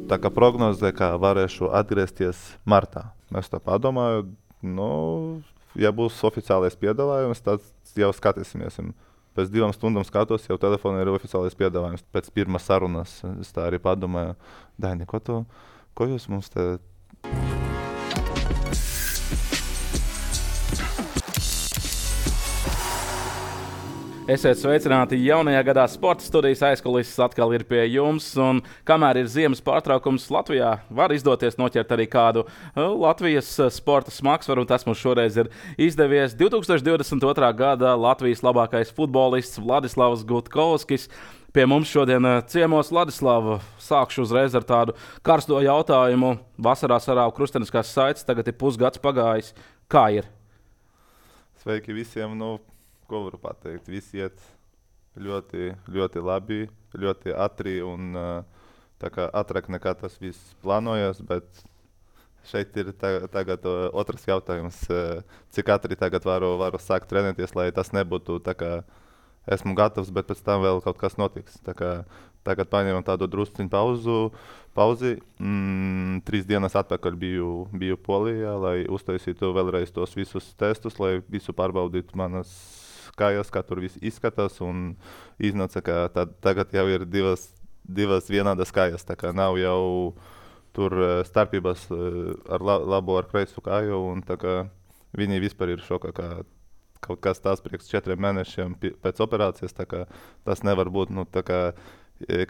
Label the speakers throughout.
Speaker 1: tā kā prognozē, ka varēšu atgriezties martā. Es tā padomāju, ja būs oficiālais piedāvājums, tad jau skatīsimies. Pēc 2 stundām skatos, jau telefonā ir oficiālais piedāvājums. Pēc pirmās sarunas es tā arī padomāju, Daini, ko jūs mums te...
Speaker 2: Esiet sveicināti jaunajā gadā. Sporta studijas aizkulises atkal ir pie jums. Un kamēr ir ziemas pārtraukums Latvijā, var izdoties noķert arī kādu Latvijas sporta smagsvaru. Tas mums šoreiz ir izdevies. 2022. gada Latvijas labākais futbolists Vladislavs Gutkovskis. Pie mums šodien ciemos. Vladislava, sākšu uzreiz ar tādu karsto jautājumu. Vasarā sarāva krusteniskās saites, tagad ir pusgads pagājis. Kā ir?
Speaker 1: Sveiki visiem! Ko varu pateikt? Visi iet ļoti, ļoti labi, ļoti ātri un tā kā ātrāk nekā tas viss plānojas, bet šeit ir tagad otrs jautājums, cik ātri tagad varu sākt trenēties, lai tas nebūtu tā kā esmu gatavs, bet pēc tam vēl kaut kas notiks. Tā kā tagad paņēmām tādu drusciņu pauzi. 3 dienas atpakaļ biju Polijā, lai uztaisītu vēlreiz tos visus testus, lai visu pārbaudītu manas kājas, kā tur viss izskatās, un iznāca, ka tagad jau ir divas vienādas kājas, tā kā nav jau tur starpības ar labo ar kreisu kāju, un tā kā viņi vispār ir šokā, ka kaut kas tās priekš 4 mēnešiem pēc operācijas, tā kā tas nevar būt, tā kā,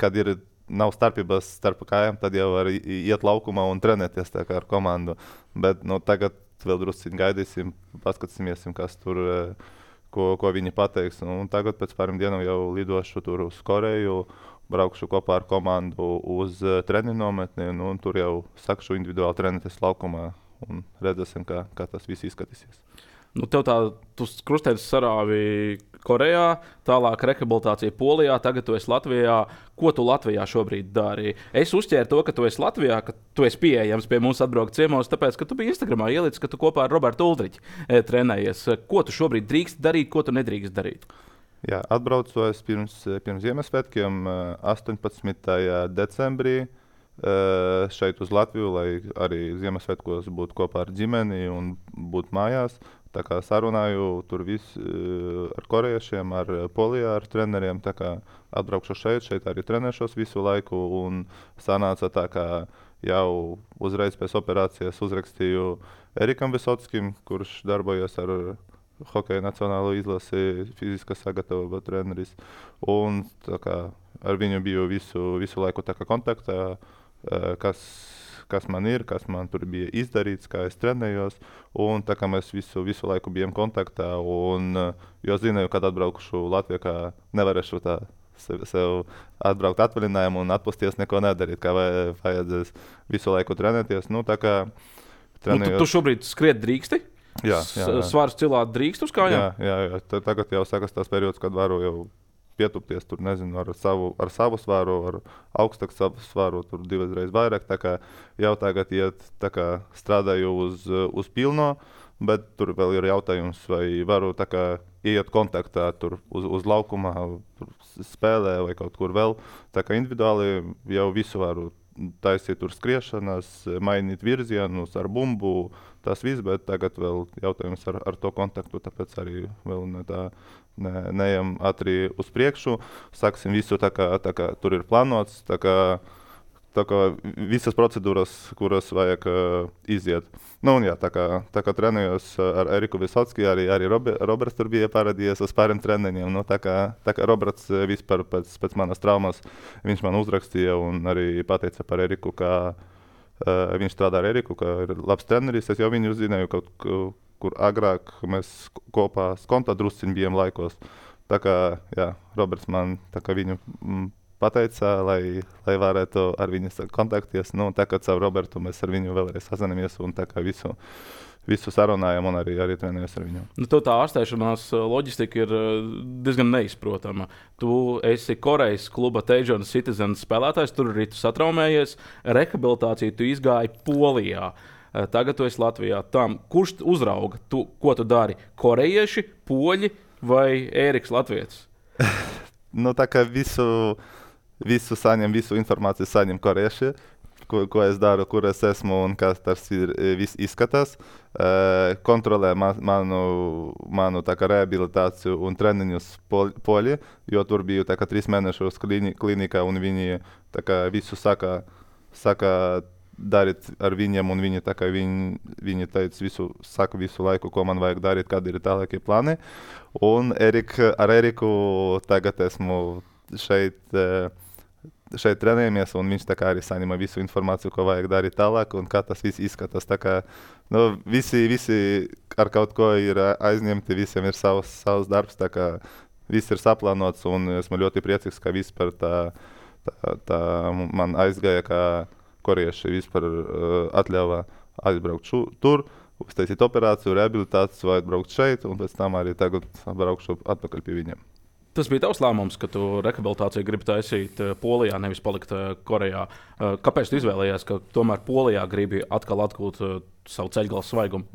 Speaker 1: kad nav starpības starp kājām, tad jau var iet laukumā un trenēties tā kā ar komandu, bet tagad vēl drusciņi gaidīsim, paskatīsimies, kas tur ko viņi pateiks. Un tagad pēc pāriem dienām jau lidošu tur uz Koreju, braukšu kopā ar komandu uz treniņu nometni, un tur jau sākšu individuāli trenēties laukumā un redzēsim, kā tas viss izskatīsies.
Speaker 2: Tu krustēdus sarāvi Korejā, tālāk rehabilitācija Polijā, tagad tu esi Latvijā. Ko tu Latvijā šobrīd dari? Es uzķēru to, ka tu esi Latvijā, ka tu esi pieejams pie mums atbraukt ciemos, tāpēc, ka tu biji Instagramā ielicis, ka tu kopā ar Robertu Uldriķi trenējies. Ko tu šobrīd drīkst darīt, ko tu nedrīkst darīt?
Speaker 1: Jā, atbraucu es pirms Ziemassvētkiem 18. decembrī šeit uz Latviju, lai arī Ziemassvētkos būtu kopā ar ģimeni un būtu mājās. Tā kā sarunāju tur ar korejiešiem, ar Polijā, ar treneriem, tā kā atbraukšu šeit arī trenēšos visu laiku, un sanāca tā, kā jau uzreiz pēc operācijas uzrakstīju Erikam Visotskim, kurš darbojas ar hokeja nacionālo izlasi, fiziskā sagatavība treneris, un tā kā ar viņu biju visu laiku tā kā kontaktā, kas man ir, kas man tur bija izdarīts, kā es trenējos, un tā kā mēs visu laiku bijām kontaktā, un jo zināju, kad atbraukšu Latvijā, kā nevarēšu tā sev atbraukt atvaļinājumu un atpusties neko nedarīt, kā vajadzēs visu laiku trenēties. Tā kā trenējos...
Speaker 2: Tu šobrīd skriet drīksti?
Speaker 1: Jā.
Speaker 2: Svārus cilāt drīkst uz kājām?
Speaker 1: Jā. Tagad jau sākas tās periods, kad varu jau pietupties tur, nezinu, ar savu svāru, ar augstāku savu svāru, tur 2 reizes vairāk, tā kā jau tagad tā kā strādāju uz pilno, bet tur vēl ir jautājums, vai varu tā kā iet kontaktā tur uz laukumā, tur spēlē vai kaut kur vēl, tā kā individuāli jau visu varu taisīt tur skriešanas, mainīt virzienus ar bumbu, tas viss, bet tagad vēl jautājums ar to kontaktu, tāpēc arī vēl neejam ātri uz priekšu. Sāksim visu tā kā tur ir plānots, tā kā visas procedūras, kuras vajag iziet. Tā kā trenējos ar Eriku Visotski, arī Roberts tur bija parādījies uz pāriem treniņiem. Tā kā Roberts vispār pēc manas traumas, viņš man uzrakstīja un arī pateica par Eriku, ka viņš strādā ar Eriku, ka ir labs treneris. Es jau viņu zināju kaut kur agrāk mēs kopā skonta drusciņi bijām laikos. Tā kā, Roberts man tā kā viņu pateica, lai varētu ar viņu kontakties. Tā kā caur Robertu mēs ar viņu vēlreiz sazināmies un tā kā visu sarunājam un arī trenējos ar viņu.
Speaker 2: Tev tā ārstēšanās loģistika ir diezgan neizprotama. Tu esi Korejas kluba Daejeon Citizen spēlētājs, tur arī tu satraumējies. Rehabilitāciju tu izgāji Polijā. Tagad tu esi Latvijā. Kurš uzrauga? Ko tu dari? Korejieši, poļi vai Ēriks Latvietis?
Speaker 1: Tā kā visu informāciju saņem korejieši. ko es daru, kur es esmu un kas tas viss izskatās. Kontrolē manu tā kā rehabilitāciju un treniņus Poļi, jo tur biju tā kā 3 mēnešus klinikā un viņi tā kā visu saka darīt ar viņiem, un viņi, tā kā viņi teica saka visu laiku, ko man vajag darīt, kādi ir tālākie plāni. Un ar Eriku tagad esmu šeit trenējamies, un viņš tā kā arī saņem visu informāciju, ko vajag darīt tālāk, un kā tas viss izskatās. Tā kā, visi ar kaut ko ir aizņemti, visiem ir savs darbs, tā kā viss ir saplānots, un esmu ļoti priecīgs, ka vispār tā man aizgāja, ka korieši vispār atļāva aizbraukt tur, uztaisīt operāciju, rehabilitāciju, vai atbraukt šeit, un pēc tam arī tagad braukšu atpakaļ pie viņiem.
Speaker 2: Tas bija tavs lēmums, ka tu rehabilitāciju gribi taisīt Polijā, nevis palikt Korejā. Kāpēc tu izvēlējies, ka tomēr Polijā gribi atkal atgūt savu ceļgalu svaigumu?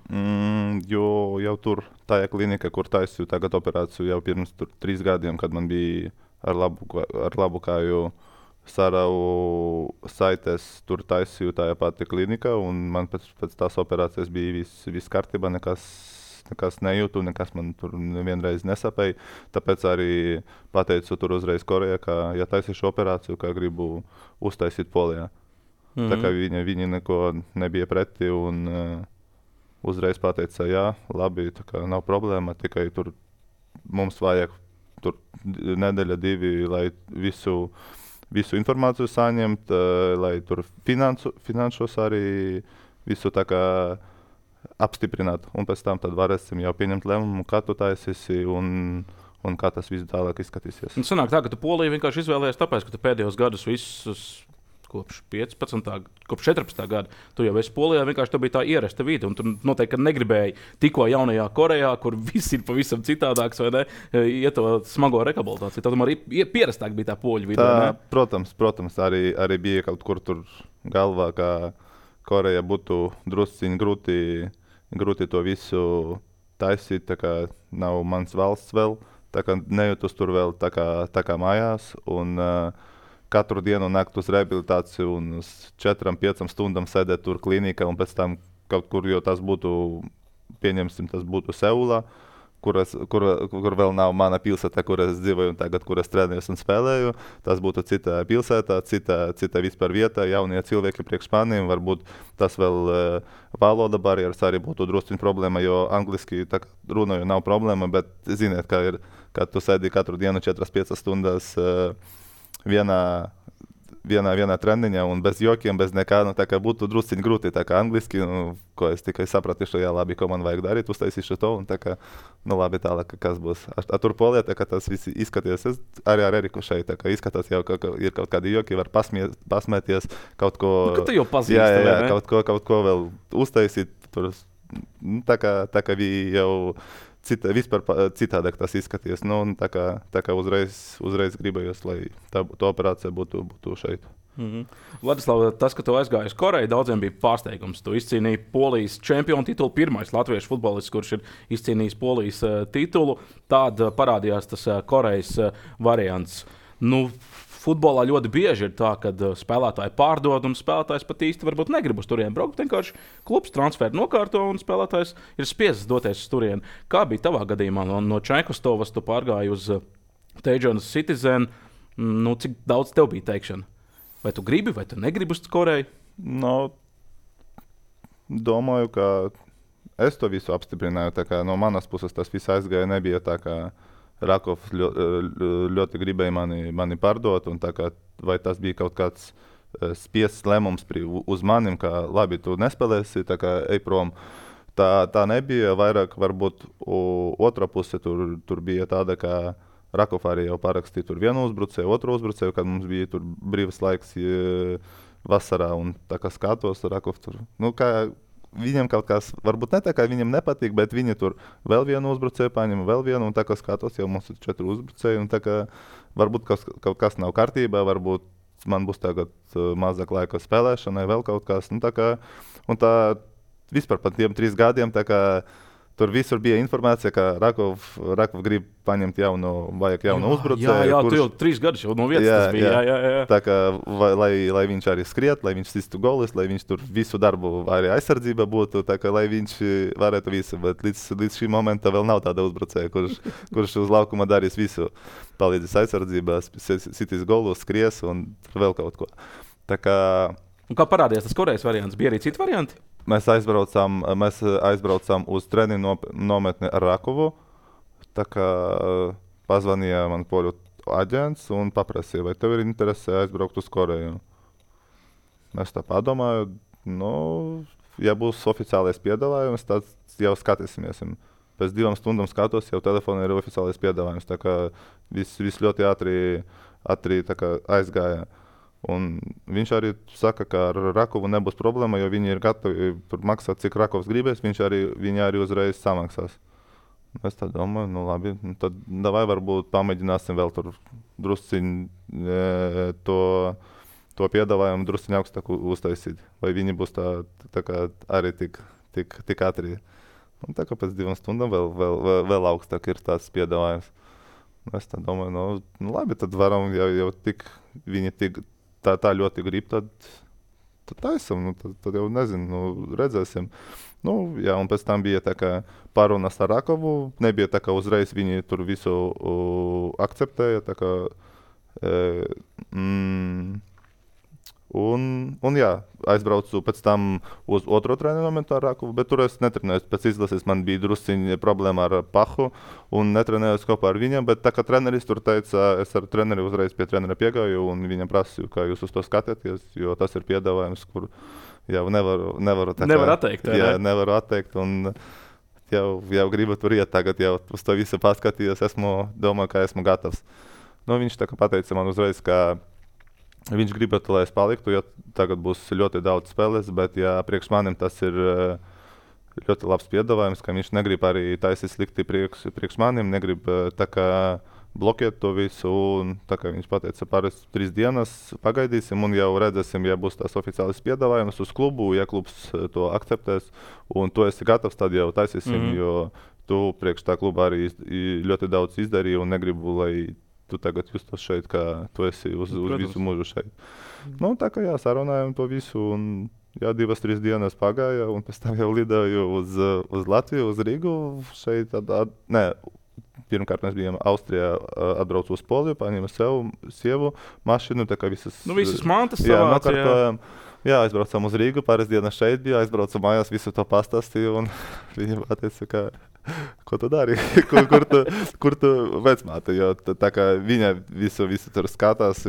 Speaker 1: Jo jau tur tajā klinikā, kur taisīju tagad operāciju jau pirms 3 gadiem, kad man bija ar labu kāju Saravu saites, tur taisīju tajā pati klinikā, un man pēc tās operācijas bija viss kārtībā, nekas nejūtu, nekas man tur nevienreiz nesapēja. Tāpēc arī pateicu tur uzreiz Korejā, ka ja taisīšu operāciju, ka gribu uztaisīt Polijā. Tā kā viņi neko nebija pretī, un uzreiz pateica, jā, labi, tā kā nav problēma, tikai tur mums vajag tur nedēļa 2, lai visu informāciju saņemt, lai tur finanšos arī visu tā kā apstiprināt. Un pēc tam tad varēsim jau pieņemt lēmumu, kā tu taisīsi un kā tas viss tālāk izskatīsies.
Speaker 2: Un sanāk tā, ka tu Poliju vienkārši izvēlējies tāpēc, ka tu pēdējos gadus visus kopš 14. gada, tu jau esi Polijā, vienkārši tā bija tā ierasta vide, un tu noteikti negribēji tikko jaunajā Korejā, kur viss ir pavisam citādāks, vai ne, iet to smago rehabilitāciju. Tad tomēr pierastāk bija tā poļu vide, vai ne?
Speaker 1: Protams, arī bija kaut kur tur galvā, ka Koreja būtu drusciņi grūti to visu taisīt, tā kā nav mans valsts vēl, tā kā nejūtos tur vēl tā kā mājās, un katru dienu nākt uz rehabilitāciju un uz 4-5 stundām sēdēt tur klinikā, un pēc tam kaut kur, jo tas būtu, pieņemsim, tas būtu Seulā, kur vēl nav mana pilsēta, kur es dzīvoju un tagad, kur es trenējos un spēlēju. Tas būtu cita pilsēta, cita vispār vieta, jaunie cilvēki priekš maniem, varbūt tas vēl valoda barjeras arī būtu drusciņ problēma, jo angliski runāju nav problēma, bet ziniet, kā ir, kad tu sēdi katru dienu 4-5 stundas vienā treniņā un bez jokiem, bez nekā, tā kā būtu drusciņi grūti, tā kā angliski, ko es tikai sapratīšu, jā, labi, ko man vajag darīt, uztaisīšu to, un tā kā, labi, tālāk, kas būs. Tur Polijā, tā kā tas viss izskaties, es arī ar Eriku šeit, tā kā izskatās jau, ka ir kaut kādi joki, var pasmēties, kaut ko...
Speaker 2: Ka tu jau pazīsti,
Speaker 1: jā, kaut ko vēl uztaisīt, tur, tā kā bija jau... Vispār citādāk tas izskaties. Tā kā uzreiz gribējos, lai tā operācija būtu šeit.
Speaker 2: Vladislav, tas, ka tu aizgāji uz Koreju, daudziem bija pārsteigums. Tu izcīnīji Polijas čempionu titulu, pirmais latviešu futbolists, kurš ir izcīnījis Polijas titulu. Tad parādījās tas Korejas variants. Futbolā ļoti bieži ir tā, ka spēlētāji pārdod un spēlētājs pat īsti varbūt negrib uz turieni braukt. Vienkārši klubs transferu nokārto un spēlētājs ir spiests doties uz turieni. Kā bija tavā gadījumā? No Čaikustovas tu pārgāji uz Teijonas Citizen. Cik daudz tev bija teikšana? Vai tu gribi, vai tu negribi uz Koreju?
Speaker 1: Domāju, ka es to visu apstiprināju. Tā kā no manas puses tas viss aizgāja, nebija tā kā Rakovs ļoti gribēja mani pārdot, un tā kā, vai tas bija kaut kāds spiests lēmums uz manim, ka labi, tu nespēlēsi, tā kā ej prom. Tā nebija, vairāk varbūt otra puse tur bija tāda, ka Rakov arī jau parakstīja tur vienu uzbrucēju, otru uzbrucēju, kad mums bija tur brīvs laiks vasarā, un tā kā skatos, Rakov tur, viņam kaut kas, varbūt ne tā kā viņam nepatīk, bet viņi tur vēl vienu uzbrucēju paņem, vēl vienu, un tā kā skatos, jau mums ir 4 uzbrucēji, un tā kā varbūt kaut kas nav kārtībā, varbūt man būs tagad mazāk laika spēlēšanai, vēl kaut kas, un tā vispār pat tiem 3 gadiem, tā kā Tur visur bija informācija, ka Rakov grib paņemt vajag jaunu uzbrucēju.
Speaker 2: Jā, tu jau 3 gadus jau no vietas tas bija. Jā.
Speaker 1: Tā kā, lai viņš arī skriet, lai viņš sistu golis, lai viņš tur visu darbu arī aizsardzība būtu, tā kā lai viņš varētu visu. Bet līdz šī momenta vēl nav tāda uzbrucēja, kurš uz laukuma darīs visu. Palīdzīs aizsardzībā, sitīs golus, skries un vēl kaut ko. Tā kā...
Speaker 2: Un kā parādījās tas Korejas variants? Bija arī citi varianti?
Speaker 1: Mēs aizbraucām uz treniņu nometni ar Rakovu. Tā kā pazvanīja man poļu aģents un paprasīja, vai tev ir interese aizbraukt uz Koreju. Mēs tā padomāju, ja būs oficiālais piedāvājums, tad jau skatīsimies. Pēc 2 stundām skatos, jau telefonā ir oficiālais piedāvājums. Tā kā viss ļoti ātri tā kā aizgāja. Un viņš arī saka, ka ar Rakovu nebūs problēma, jo viņi ir gatavi maksāt, cik Rakovs gribēs, viņi arī uzreiz samaksās. Es tā domāju, labi, tad davai varbūt pamēģināsim vēl tur drusciņ to piedāvājumu drusciņ augstāku uztaisīt. Vai viņi būs tā kā arī tik ātri. Un tā kā pēc 2 stundām vēl augstāk ir tāds piedāvājums. Es tā domāju, labi, tad varam jau viņi tā ļoti grib, tad taisam, tad jau nezinu, redzēsim. Jā, un pēc tam bija tā kā pārunas ar Rakovu, nebija tā kā uzreiz viņi tur visu akceptēja, tā kā un jā, aizbraucu pēc tam uz otro treniņu momentu ar Rakovu, bet tur es netrenējos. Pēc izlases man bija drusciņa problēma ar pahu un netrenējos kopā ar viņam, bet tā kā treneris tur teica, es ar treneri uzreiz pie trenera piegāju un viņam prasīju, kā jūs uz to skatieties, jo tas ir piedāvājums, kur jau nevaru tā kā...
Speaker 2: Nevar atteikt,
Speaker 1: jā, nevaru atteikt un jau gribu tur iet tagad, jau uz to visu paskatījos, domāju, ka esmu gatavs. Viņš tā kā pateica man uzreiz, ka viņš gribētu, lai es paliktu, jo tagad būs ļoti daudz spēles, bet priekš manim tas ir ļoti labs piedāvājums, ka viņš negrib arī taisīt slikti priekš manim, negrib tā kā blokēt to visu, un tā kā viņš pateica, pāris 3 dienas pagaidīsim un jau redzēsim, ja būs tās oficiālis piedāvājums uz klubu, ja klubs to akceptēs, un tu esi gatavs, tad jau taisīsim, jo tu priekš tā kluba arī ļoti daudz izdarīji un negribu, lai tu tagad justos šeit, kā tu esi uz visu mūžu šeit. Tā kā sarunājam to visu, un 2-3 dienas pagāja, un pēc tam jau lidoju uz Latviju, uz Rīgu. Šeit, pirmkārt mēs bijām Austrijā, atbraucu uz Poliju, paņēmu sievu mašīnu, tā kā visas
Speaker 2: mantas savāc,
Speaker 1: jā, aizbraucām uz Rīgu, pāris dienas šeit bija, aizbraucu mājās, visu to pastāstīju, un viņi pateica, ka ko tu dari? kur tu vecmāte? Jo tā kā viņa visu tur skatās,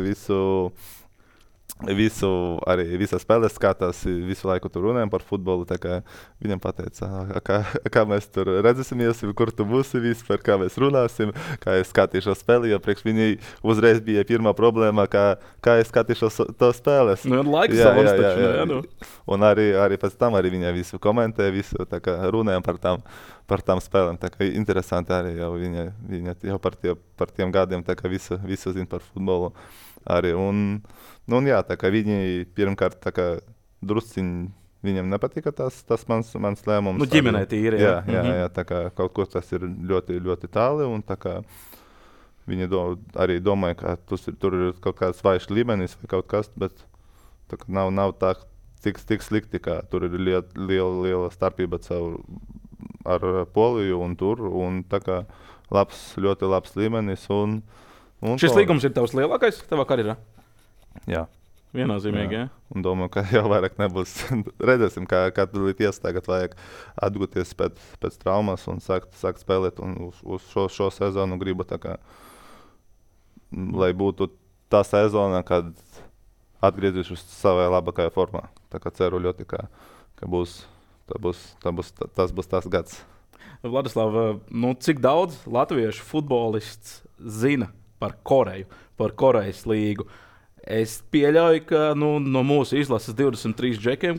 Speaker 1: arī visas spēles skatās, visu laiku tur runājam par futbolu, tā kā viņam pateica, kā mēs tur redzēsimies, kur tu būsi vispār, kā mēs runāsim, kā es skatīšos spēli, jo priekš viņai uzreiz bija pirmā problēma, kā es skatīšos to spēles.
Speaker 2: Laiks savams taču,
Speaker 1: Un arī pēc tam arī viņa visu komentē, visu, tā kā runājam par tām spēlēm, tā kā interesanti arī jau viņa jau par tiem gadiem, tā kā visu zina par futbolu arī, un jā, tā kā viņi pirmkārt, tā kā drusciņi viņam nepatika tas mans lēmums.
Speaker 2: Ģimenē tīri, jā.
Speaker 1: Jā, tā kā kaut kur tas ir ļoti, ļoti tāli, un tā kā viņi arī domāja, ka tur ir kaut kāds vājš līmenis vai kaut kas, bet tā kā nav tā tik slikti, ka tur ir liela starpība ar Poliju un tur, un tā kā ļoti labs līmenis. Un
Speaker 2: šis līgums ir tavs lielākais tavā karjerā?
Speaker 1: Jā.
Speaker 2: Viennozīmīgi, jā.
Speaker 1: Un domāju, ka jau vairāk nebūs. Redzēsim, kā tulīt tagad vajag atgūties pēc traumas un sākt spēlēt. Un uz šo sezonu gribu tā kā, lai būtu tā sezona, kad atgriezīšos savā labākajā formā. Tā kā ceru ļoti, ka tas būs tas gads.
Speaker 2: Vladislav, cik daudz latviešu futbolists zina par Koreju, par Korejas līgu? Es pieļauju, ka no mūsu izlases 23 džekiem,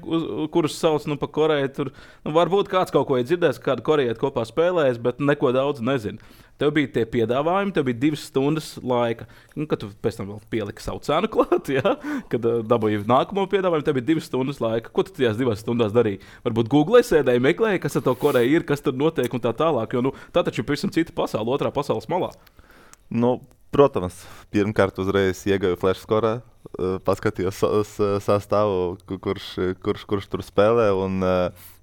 Speaker 2: kurus sauc pa Koreju, tur varbūt kāds kaut ko ir dzirdējis, kādu korejieti kopā spēlējis, bet neko daudz nezinu. tev bija tie piedāvājumi, tev bija 2 stundas laika, kad tu pēc tam vēl pieliki savu cenu klāt, ja? Kad dabūji nākamo piedāvājumu, tev bija 2 stundas laika. Ko tu tajās 2 stundās darīji? Varbūt Google sēdēji, meklēji, kas ar to Koreju ir, kas tur notiek un tā tālāk, jo tā taču ir pavisam cita pasaule, otrā pasaules malā.
Speaker 1: Nu, protams, pirmkārt uzreiz iegāju Flash Score, paskatījos sastāvu, kurš tur spēlē un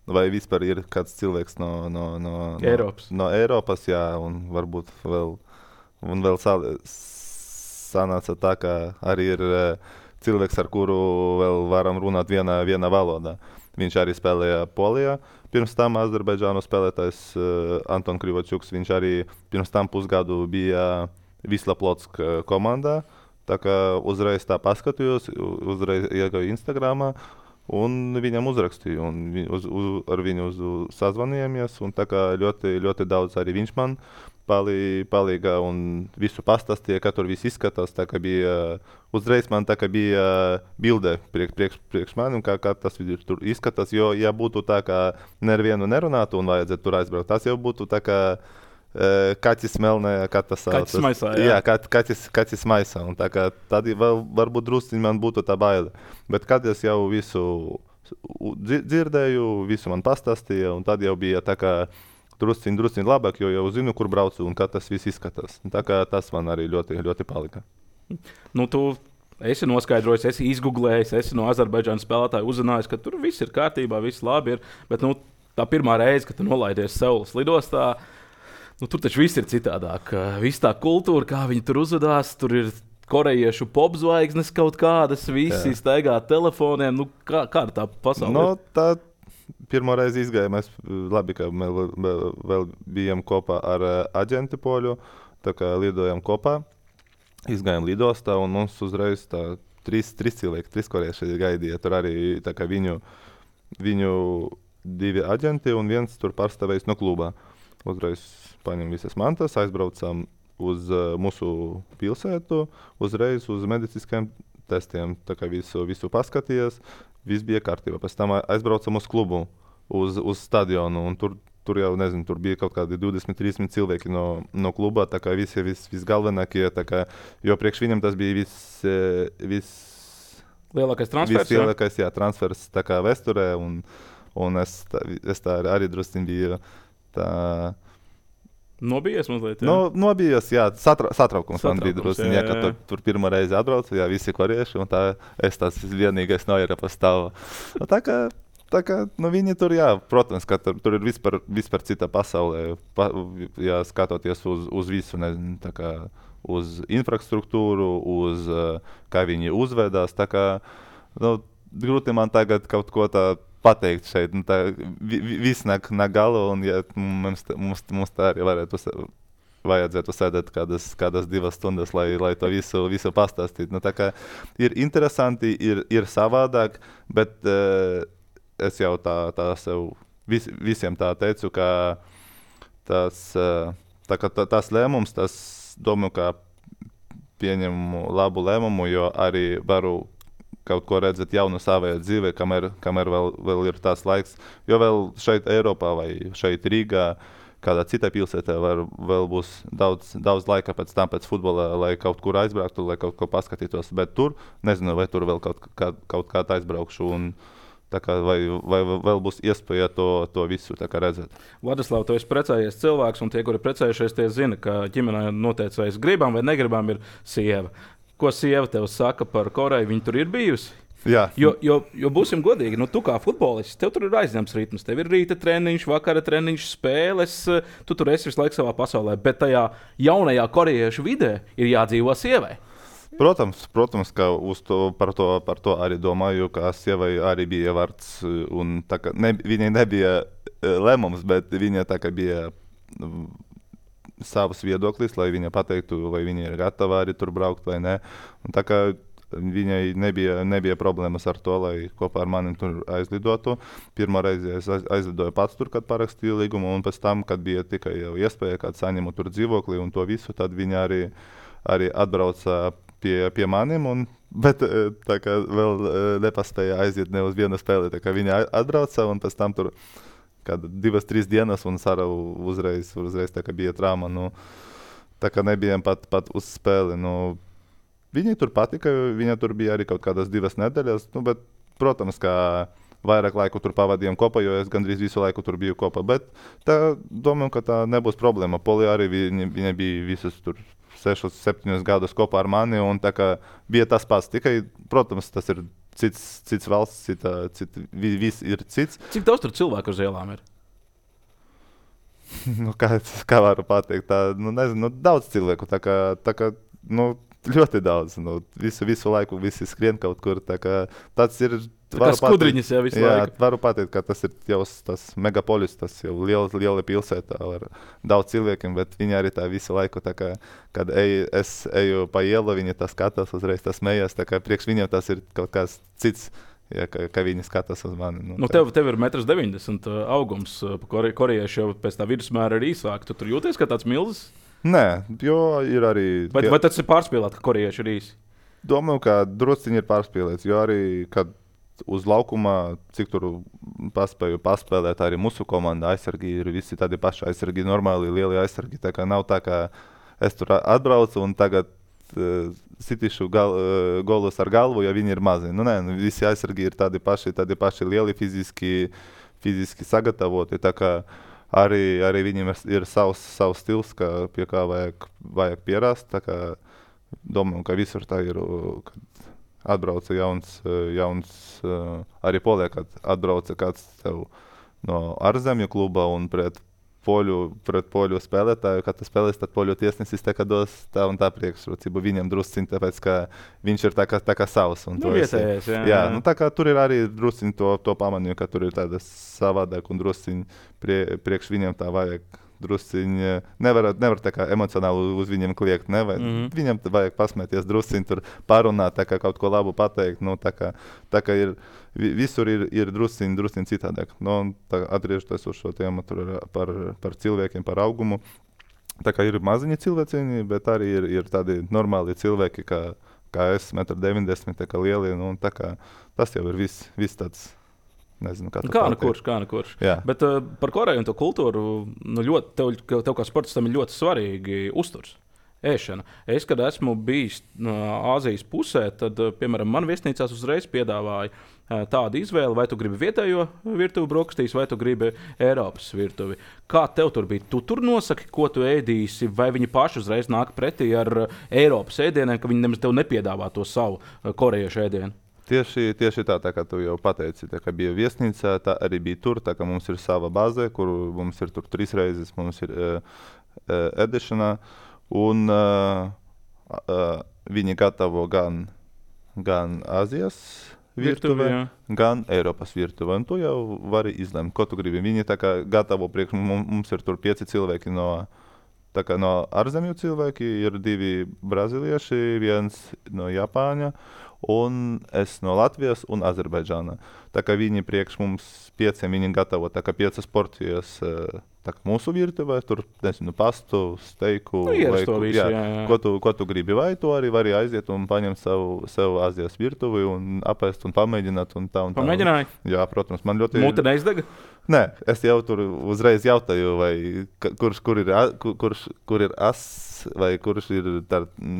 Speaker 1: vai vispār ir kāds cilvēks no Eiropas, jā, un varbūt vēl sanāca tā, ka arī ir cilvēks, ar kuru vēl varam runāt vienā valodā. Viņš arī spēlēja Polijā. Pirms tam Azerbaidžānu spēlētājs Anton Krivočuks, viņš arī pirms tam pusgadu bija Wisla Plotsk komandā. Tā kā uzreiz tā paskatījos, uzreiz iegāju Instagramā. Un viņam uzrakstīju, un ar viņu sazvanījāmies, un tā kā ļoti daudz arī viņš man palīga un visu pastāstīja, kā tur viss izskatās, tā kā bija, uzreiz man tā kā bija bilde priekš manim, kā tas tur izskatās, jo ja būtu tā, kā nevienu nerunātu un vajadzētu tur aizbraukt, tas jau būtu tā kā kaķis melnē, kā tas sauc.
Speaker 2: Kaķis maisā,
Speaker 1: jā. Jā, kaķis maisā. Un tā kā tad varbūt drusciņ man būtu tā baile. Bet kad es jau visu dzirdēju, visu man pastāstīja, un tad jau bija tā kā drusciņ labāk, jo jau zinu, kur braucu un kā tas viss izskatās. Un tā kā tas man arī ļoti palika.
Speaker 2: Nu, tu esi noskaidrojis, esi izgooglējis, esi no Azerbaidžānas spēlētāja uzzinājis, ka tur viss ir kārtībā, viss labi ir. Bet tā pirmā reize, kad tu nolaidies Seulas lidostā, tur taču viss ir citādāk. Viss tā kultūra, kā viņi tur uzvedās, tur ir korejiešu popzvaigznes kaut kādas, visi staigā telefoniem. Kāda tā pasaule?
Speaker 1: Tā pirmo reizi izgājām. Mēs labi, ka vēl bijām kopā ar aģenti poļu, tā kā lidojām kopā. Izgājām lidostā un mums uzreiz trīs cilvēki, 3 korejieši gaidīja. Tur arī tā kā viņu 2 aģenti un viens tur pārstāvējis no klubā. Uzreiz paņem visas mantas, aizbraucam uz mūsu pilsētu, uzreiz uz medicīniskiem testiem. Tā kā visu paskatījās, viss bija kārtībā. Pēc tam aizbraucam uz klubu, uz stadionu, un tur jau, nezinu, tur bija kaut kādi 20-30 cilvēki no kluba, tā kā visi galvenākie, tā kā, jo priekš viņam tas bija
Speaker 2: lielākais transfers,
Speaker 1: lielākais, transfers tā kā vēsturē, un es tā arī drusciņ biju tā...
Speaker 2: Nobijies mazliet, jā?
Speaker 1: Nobijies, jā, satraukums man bija drusciņ, jā, kad tur pirmo reizi atbraucu, jā, visi korieši, un tā es tās vienīgais no Eiropas stāvu. Tā kā viņi tur, jā, protams, ka tur ir vispār cita pasaulē, jā, skatoties uz visu, nezinu, tā kā uz infrastruktūru, uz kā viņi uzvedās, tā kā, grūti man tagad kaut ko tā pateikt šeit, viss nāk gala, un ja mums tā arī vajadzētu sēdēt kādas 2 stundas, lai to visu pastāstītu. Tā kā ir interesanti, ir savādāk, bet es jau tā sev visiem tā teicu, ka tas lēmums, tas domāju, ka pieņemu labu lēmumu, jo arī varu kaut ko redzēt jaunu savajā dzīvē, kamēr vēl ir tās laiks. Jo vēl šeit Eiropā vai šeit Rīgā, kādā citā pilsētā vēl būs daudz laika pēc futbola, lai kaut kur aizbrauktu, lai kaut ko paskatītos. Bet tur, nezinu, vai tur vēl kaut kā aizbraukšu. Un tā kā vai vēl būs iespēja to visu tā kā redzēt.
Speaker 2: Vladislav, tu esi precējies cilvēks, un tie, kuri precējušies, tie zina, ka ģimenē noteicējis gribam vai negribam ir sieva. Ko sieva tev saka par Koreju? Viņa tur ir bijusi?
Speaker 1: Jā.
Speaker 2: Jo būsim godīgi, tu kā futbolists, tev tur ir aizņemts ritms. Tev ir rīta treniņš, vakara treniņš, spēles. Tu tur esi visu laiku savā pasaulē. Bet tajā jaunajā korejiešu vidē ir jādzīvo sievai.
Speaker 1: Protams, ka par to arī domāju, ka sievai arī bija vārds. Un tā kā viņai nebija lēmums, bet viņa tā kā bija... savs viedoklis, lai viņa pateiktu, vai viņa ir gatava arī tur braukt vai nē. Un tā kā viņai nebija problēmas ar to, lai kopā ar manim tur aizlidotu. Pirmā reize es aizlidoju pats tur, kad parakstīju līgumu, un pēc tam, kad bija tikai jau iespēja, kad saņemu tur dzīvokli un to visu, tad viņa arī atbrauca pie manim, bet tā kā vēl nepaspēja aiziet ne uz vienu spēli, tā kā viņa atbrauca un pēc tam tur kāda 2-3 dienas un Sara uzreiz tā kā bija trauma. Tā kā nebijām pat uz spēli. Viņai tur patika, viņa tur bija arī kaut kādas 2 nedēļas, bet, protams, kā vairāk laiku tur pavadījām kopā, jo es gandrīz visu laiku tur biju kopā. Bet domāju, ka tā nebūs problēma. Polija arī viņa bija visas tur 6-7 gadus kopā ar mani, un tā kā bija tas pats. Tikai, protams, tas ir cits valsts, viss ir cits.
Speaker 2: Cik daudz tur cilvēku uz ielām ir?
Speaker 1: Kā varu pateikt, nezinu, daudz cilvēku. Tā kā ļoti daudz. Visu laiku visi skrien kaut kur. Tas ir.
Speaker 2: Tā skudriņas jau visu laiku.
Speaker 1: Varu pateikt, ka tas ir jau tas megapolis, tas jau liela pilsēta ar daudz cilvēkiem, bet viņi arī tā visu laiku, kad es eju pa ielu, viņi tā skatās, uzreiz tas smējās, priekš viņiem tas ir kaut kāds cits. Ja, ka viņi skatās uz mani.
Speaker 2: Tev ir 1,90 m augums. Korejieši jau pēc tā vidusmēra ir īsāk. Tu tur jūties kā tāds milzis?
Speaker 1: Nē, jo ir arī...
Speaker 2: Vai tas ir pārspīlēt, ka korejieši ir īsi?
Speaker 1: Domāju, ka drusciņi ir pārspīlēts, jo arī, kad uz laukuma, cik tur paspēju paspēlēt, arī mūsu komanda aizsargi ir visi tādi paši aizsargi, normāli lieli aizsargi. Tā kā nav tā, ka es tur atbraucu un tagad sitīšu golus ar galvu, ja viņi ir mazi. Nē, visi aizsargi ir tādi paši lieli, fiziski sagatavoti. Tā kā arī viņiem ir savs stils, pie kā vajag pierast. Tā kā domāju, ka visur tā ir, kad atbrauca jauns arī Polijā, kad atbrauca kāds tev no ārzemju kluba un pret poļu spēlētāju, kad tu spēlēs, tad poļu tiesnesis dos tā un tā priekšrocību viņam drusciņ, tāpēc, ka viņš ir tā kā savs.
Speaker 2: Vietējais,
Speaker 1: jā. Tā kā tur ir arī drusciņ to pamanīju, ka tur ir tāda savādāk un drusciņ priekš viņam tā vajag drusciņ, nevar tā kā emocionāli uz viņiem kliegt, Viņam vajag pasmēties drusciņ, tur parunāt, tā kā kaut ko labu pateikt, tā kā ir, visur ir drusciņ citādāk. Atgriežoties uz šo tēmu par cilvēkiem, par augumu, tā kā ir maziņi cilvēciņi, bet arī ir tādi normāli cilvēki, kā es, 1,90 m, tā kā lieli, tā kā tas jau ir viss tāds. Nezinu, kā
Speaker 2: kurš. Bet par Koreju un to kultūru, tev kā sportistam ir ļoti svarīgi uzturs, ēšana. Es, kad esmu bijis Āzijas pusē, tad, piemēram, man viesnīcās uzreiz piedāvāja tādu izvēli, vai tu gribi vietējo virtuvi brokastīs, vai tu gribi Eiropas virtuvi. Kā tev tur bija? Tu tur nosaki, ko tu ēdīsi, vai viņi paši uzreiz nāk pretī ar Eiropas ēdieniem, ka viņi nemaz tev nepiedāvā to savu korejiešu ēdienu?
Speaker 1: Tieši tā kā tu jau pateici, tā kā bija viesnīca, tā arī bija tur, tā kā mums ir sava bāze, kur mums ir tur 3 reizes, mums ir ēdešana, un viņi gatavo gan Āzijas virtuve, gan Eiropas virtuve, un tu jau vari izlemt, ko tu gribi. Viņi tā kā gatavo priekš, mums ir tur 5 cilvēki no ārzemju cilvēki, ir 2 brazīlieši, 1 no Japāņa, un es no Latvijas un Azerbaidžāna. Tā kā viņi priekš mums 5, viņi gatavo tā kā 5 porcijas mūsu virtuvē, tur, nezinu, pastu, steiku, ko tu gribi, vai tu arī vari aiziet un paņemt sev Āzijas virtuvi un apēst un pamēģināt un tā.
Speaker 2: Pamēģināji?
Speaker 1: Jā, protams, man ļoti...
Speaker 2: Mute neizdega?
Speaker 1: Nē, es jau tur uzreiz jautāju, vai kur ir as, vai kurš ir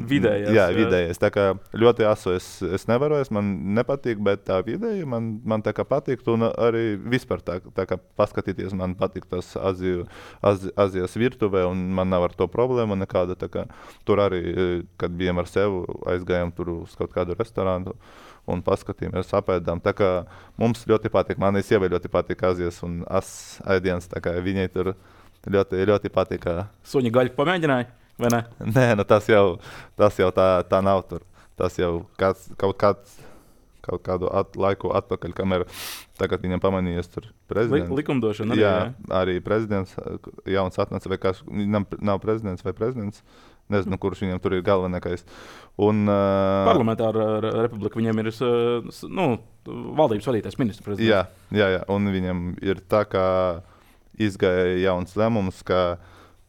Speaker 2: vidējais.
Speaker 1: Jā, vidējais. Tā kā ļoti asu es nevaru, man nepatīk, bet tā vidēji man tā kā patīk, un arī vispār tā kā paskatīties, man patīk tas Azijas virtuvē, un man nav ar to problēma nekāda. Tā kā tur arī, kad bijām ar sevi, aizgājām tur uz kaut kādu restorānu un paskatījāmies, apēdām. Tā kā mums ļoti patīk, manai sievai ļoti patīk Azijas un ēdiens, tā kā viņai tur ļoti patīk.
Speaker 2: Suņa gaļu pamēģināji, vai ne?
Speaker 1: Nē, tas jau tā nav tur. Tas jau kaut kādu laiku atpakaļ, kamēr tagad viņam pamanījies tur prezidents.
Speaker 2: Likumdošana arī,
Speaker 1: jā? Arī prezidents jauns atnāca, vai kāds, nav prezidents vai prezidents. Nezinu, kurš viņam tur ir galvenākais.
Speaker 2: Parlamentāra republika viņam ir valdības vadītājs, ministrs prezidents.
Speaker 1: Jā, un viņam ir tā, kā izgāja jauns lēmums, ka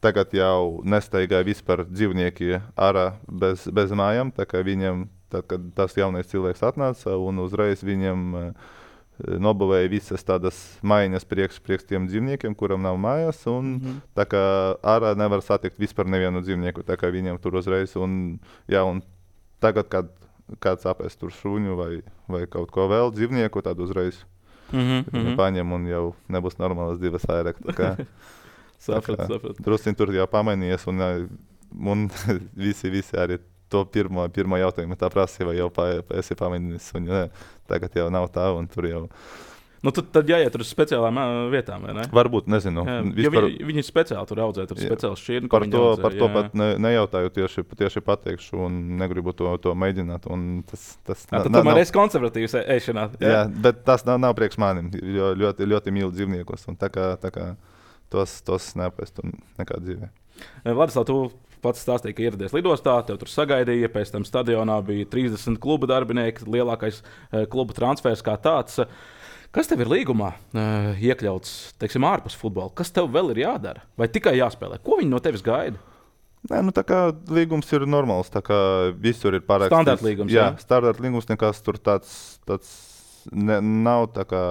Speaker 1: tagad jau nestaigāja vispār dzīvnieki ārā bez mājām, tā kā viņam, tad, kad tas jaunais cilvēks atnāca, un uzreiz viņam nobūvēja visas tādas maiņas priekš tiem dzīvniekiem, kuram nav mājās, un tā kā ārā nevar satikt vispār nevienu dzīvnieku, tā kā viņiem tur uzreiz, un tagad, kad kāds apēst tur šuņu vai kaut ko vēl dzīvnieku, tad uzreiz viņu paņem un jau nebūs normālas divas vairāk.
Speaker 2: Sapratu.
Speaker 1: Drusciņ tur jau pamainījies, un visi arī to pirmo jautājumu tā prasīja, vai jau esi pamainījis suņu. Tagad jau nav tā, un tur jau...
Speaker 2: Nu, tad jāiet uz speciālām vietām, vai ne?
Speaker 1: Varbūt, nezinu.
Speaker 2: Vispār... Viņi speciāli tur audzē, tur speciāls šķirni,
Speaker 1: par to pat nejautāju, tieši pateikšu, un negribu to mēģināt.
Speaker 2: Tad tomēr esi konservatīvs ēšanā.
Speaker 1: Jā, bet tas nav priekš manim, jo ļoti mīlu dzīvniekus, un tā kā tos neapēst nekā dzīvē.
Speaker 2: Vladislav, tu pats stāstīja, ka ieradies lidostā, tev tur sagaidīja, pēc tam stadionā bija 30 kluba darbinieki, lielākais kluba transfers kā tāds. Kas tev ir līgumā iekļauts, teiksim, ārpus futbola? Kas tev vēl ir jādara? Vai tikai jāspēlē? Ko viņi no tevis gaida?
Speaker 1: Nē, tā kā līgums ir normāls, tā kā visur ir parakstīts.
Speaker 2: Standarta līgums,
Speaker 1: jā? Standarta līgums, nekas tur tāds nav tā kā...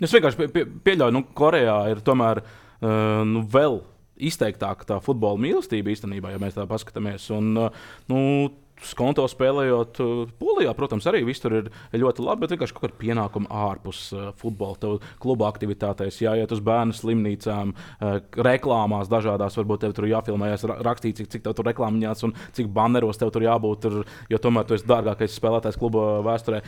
Speaker 2: Es vienkārši pieļauju, Korejā ir tomēr vēl izteiktāka tā futbola mīlestība īstenībā, ja mēs tā paskatāmies. Un, skonto spēlējot Polijā, protams, arī viss tur ir ļoti labi, bet vienkārši kaut kāda pienākuma ārpus futbola. Tev kluba aktivitātēs jāiet uz bērnu slimnīcām, reklāmās dažādās, varbūt tev tur jāfilmējas, rakstīt, cik tev tur reklāmiņās un cik banneros tev tur jābūt, jo tomēr tu esi dārgākais spēlētājs kluba vēsturē.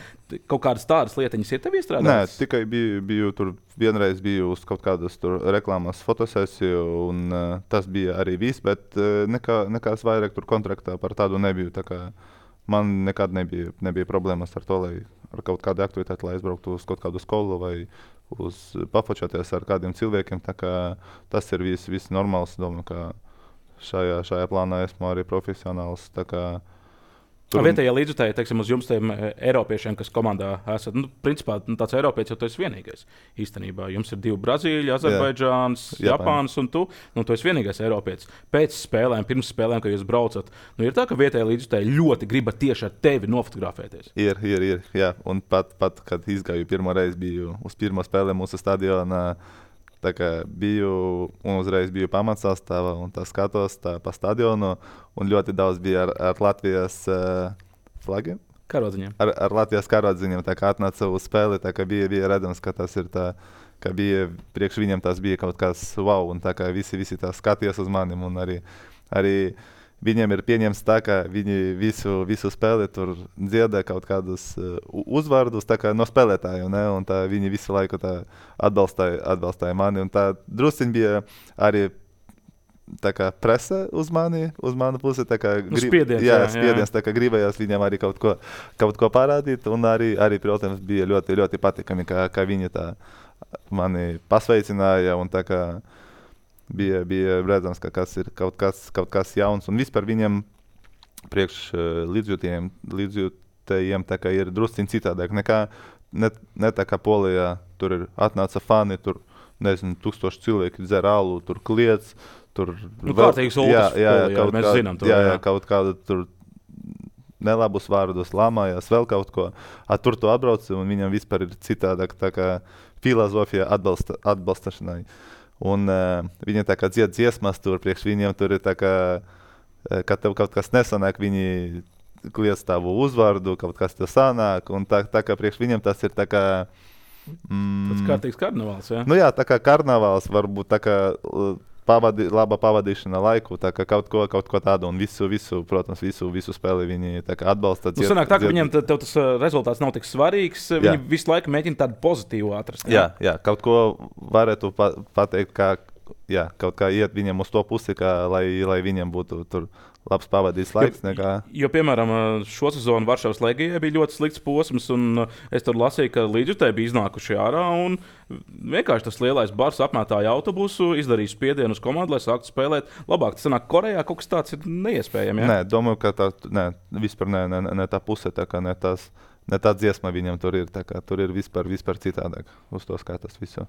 Speaker 2: Kaut kādas tādas lietiņas ir tev iestrādātas?
Speaker 1: Nē, tikai biju tur, vienreiz biju uz kaut kādas tur reklāmas fotosesiju, un tas bija arī viss, bet nekās vairāk tur kontraktā par tādu nebiju. Tā kā man nekad nebija problēmas ar to, lai ar kaut kādu aktivitāti, lai aizbrauktu uz kaut kādu skolu vai uz pafočoties ar kādiem cilvēkiem. Tā kā tas ir viss normāls. Domāju, ka šajā plānā esmu arī profesionāls. Tā kā
Speaker 2: vietējie līdzjutēji, teiksim, uz jums tiem eiropiešiem, kas komandā esat, principā tāds eiropietis jau tu esi vienīgais. Īstenībā jums ir 2 Brazīļi, Azerbaidžāns, Japāns un tu esi vienīgais eiropietis. Pēc spēlēm, pirms spēlēm, kad jūs braucat, ir tā, ka vietējie līdzjutēji ļoti griba tieši ar tevi nofotografēties.
Speaker 1: Ir, jā. Un pat, kad izgāju pirmo reizi, biju uz pirmo spēlē mūsu stadionā, tā kā uzreiz biju pamatsastāvā un tā skatos pa stadionu, un ļoti daudz bija ar Latvijas flagiem.
Speaker 2: Karodziņiem.
Speaker 1: Ar Latvijas karodziņiem, tā kā atnāca uz spēli, tā kā bija redzams, ka tas ir tā, ka bija, priekš viņiem tas bija kaut kas wow, un tā kā visi tā skatījās uz manim, un arī viņiem ir pieņemts tā, ka viņi visu spēli tur dziedā kaut kādus uzvārdus tā kā no spēlētājiem, ne? Un tā viņi visu laiku tā atbalstāja mani. Un tā drusciņ bija arī tā kā presa uz manu pusi. Tā kā spiediens, tā kā gribējās viņiem arī kaut ko parādīt. Un arī, protams, bija ļoti, ļoti patīkami, ka viņi tā mani pasveicināja un tā kā bija redzams, ka kas ir kaut kas jauns, un vispār viņiem priekš līdzjūtējiem tā kā ir drusciņ citādāk nekā ne tā kā Polijā. Tur ir atnāca fani, tur, nezinu, 1000 cilvēki dzer alu, tur kliedz, tur...
Speaker 2: kārtīgs ultras Polijā, mēs zinām to.
Speaker 1: Jā, kaut kādu tur nelabus vārdus lamājās, vēl kaut ko. Tur tu atbrauci, un viņam vispār ir citādāk tā kā filozofija atbalstašanai. Un viņi tā kā dzied dziesmas tur, priekš viņiem tur ir tā kā, kad tev kaut kas nesanāk, viņi kliedz tavu uzvārdu, kaut kas tev sanāk, un tā kā priekš viņiem tas ir tā kā...
Speaker 2: Tas kārtīgs karnavāls, jā?
Speaker 1: Nu jā, tā kā karnavāls, varbūt tā kā laba pavadīšana laiku, tā kā kaut ko tādu, un visu spēli viņi tā kā atbalsta.
Speaker 2: Sanāk tā, ka viņiem tev tas rezultāts nav tik svarīgs, viņi visu laiku mēģina tādu pozitīvu atrast.
Speaker 1: Jā, kaut ko varētu pateikt, ka kaut kā iet viņiem uz to pusi, lai viņiem būtu tur labs pavadīts laiks.
Speaker 2: Jo, piemēram, šo sezonu Varšavas Legijai bija ļoti slikts posms, un es tur lasīju, ka līdzjutēji bija iznākuši ārā, un vienkārši tas lielais bars apmētāja autobusu, izdarīja spiedienu uz komandu, lai sāktu spēlēt labāk. Tas sanāk, Korejā kaut kas tāds ir neiespējami, jā?
Speaker 1: Nē, domāju, ka vispār ne tā puse, tā kā ne tā dziesma viņam tur ir, tā kā tur ir vispār citādāk uz to skatās visu.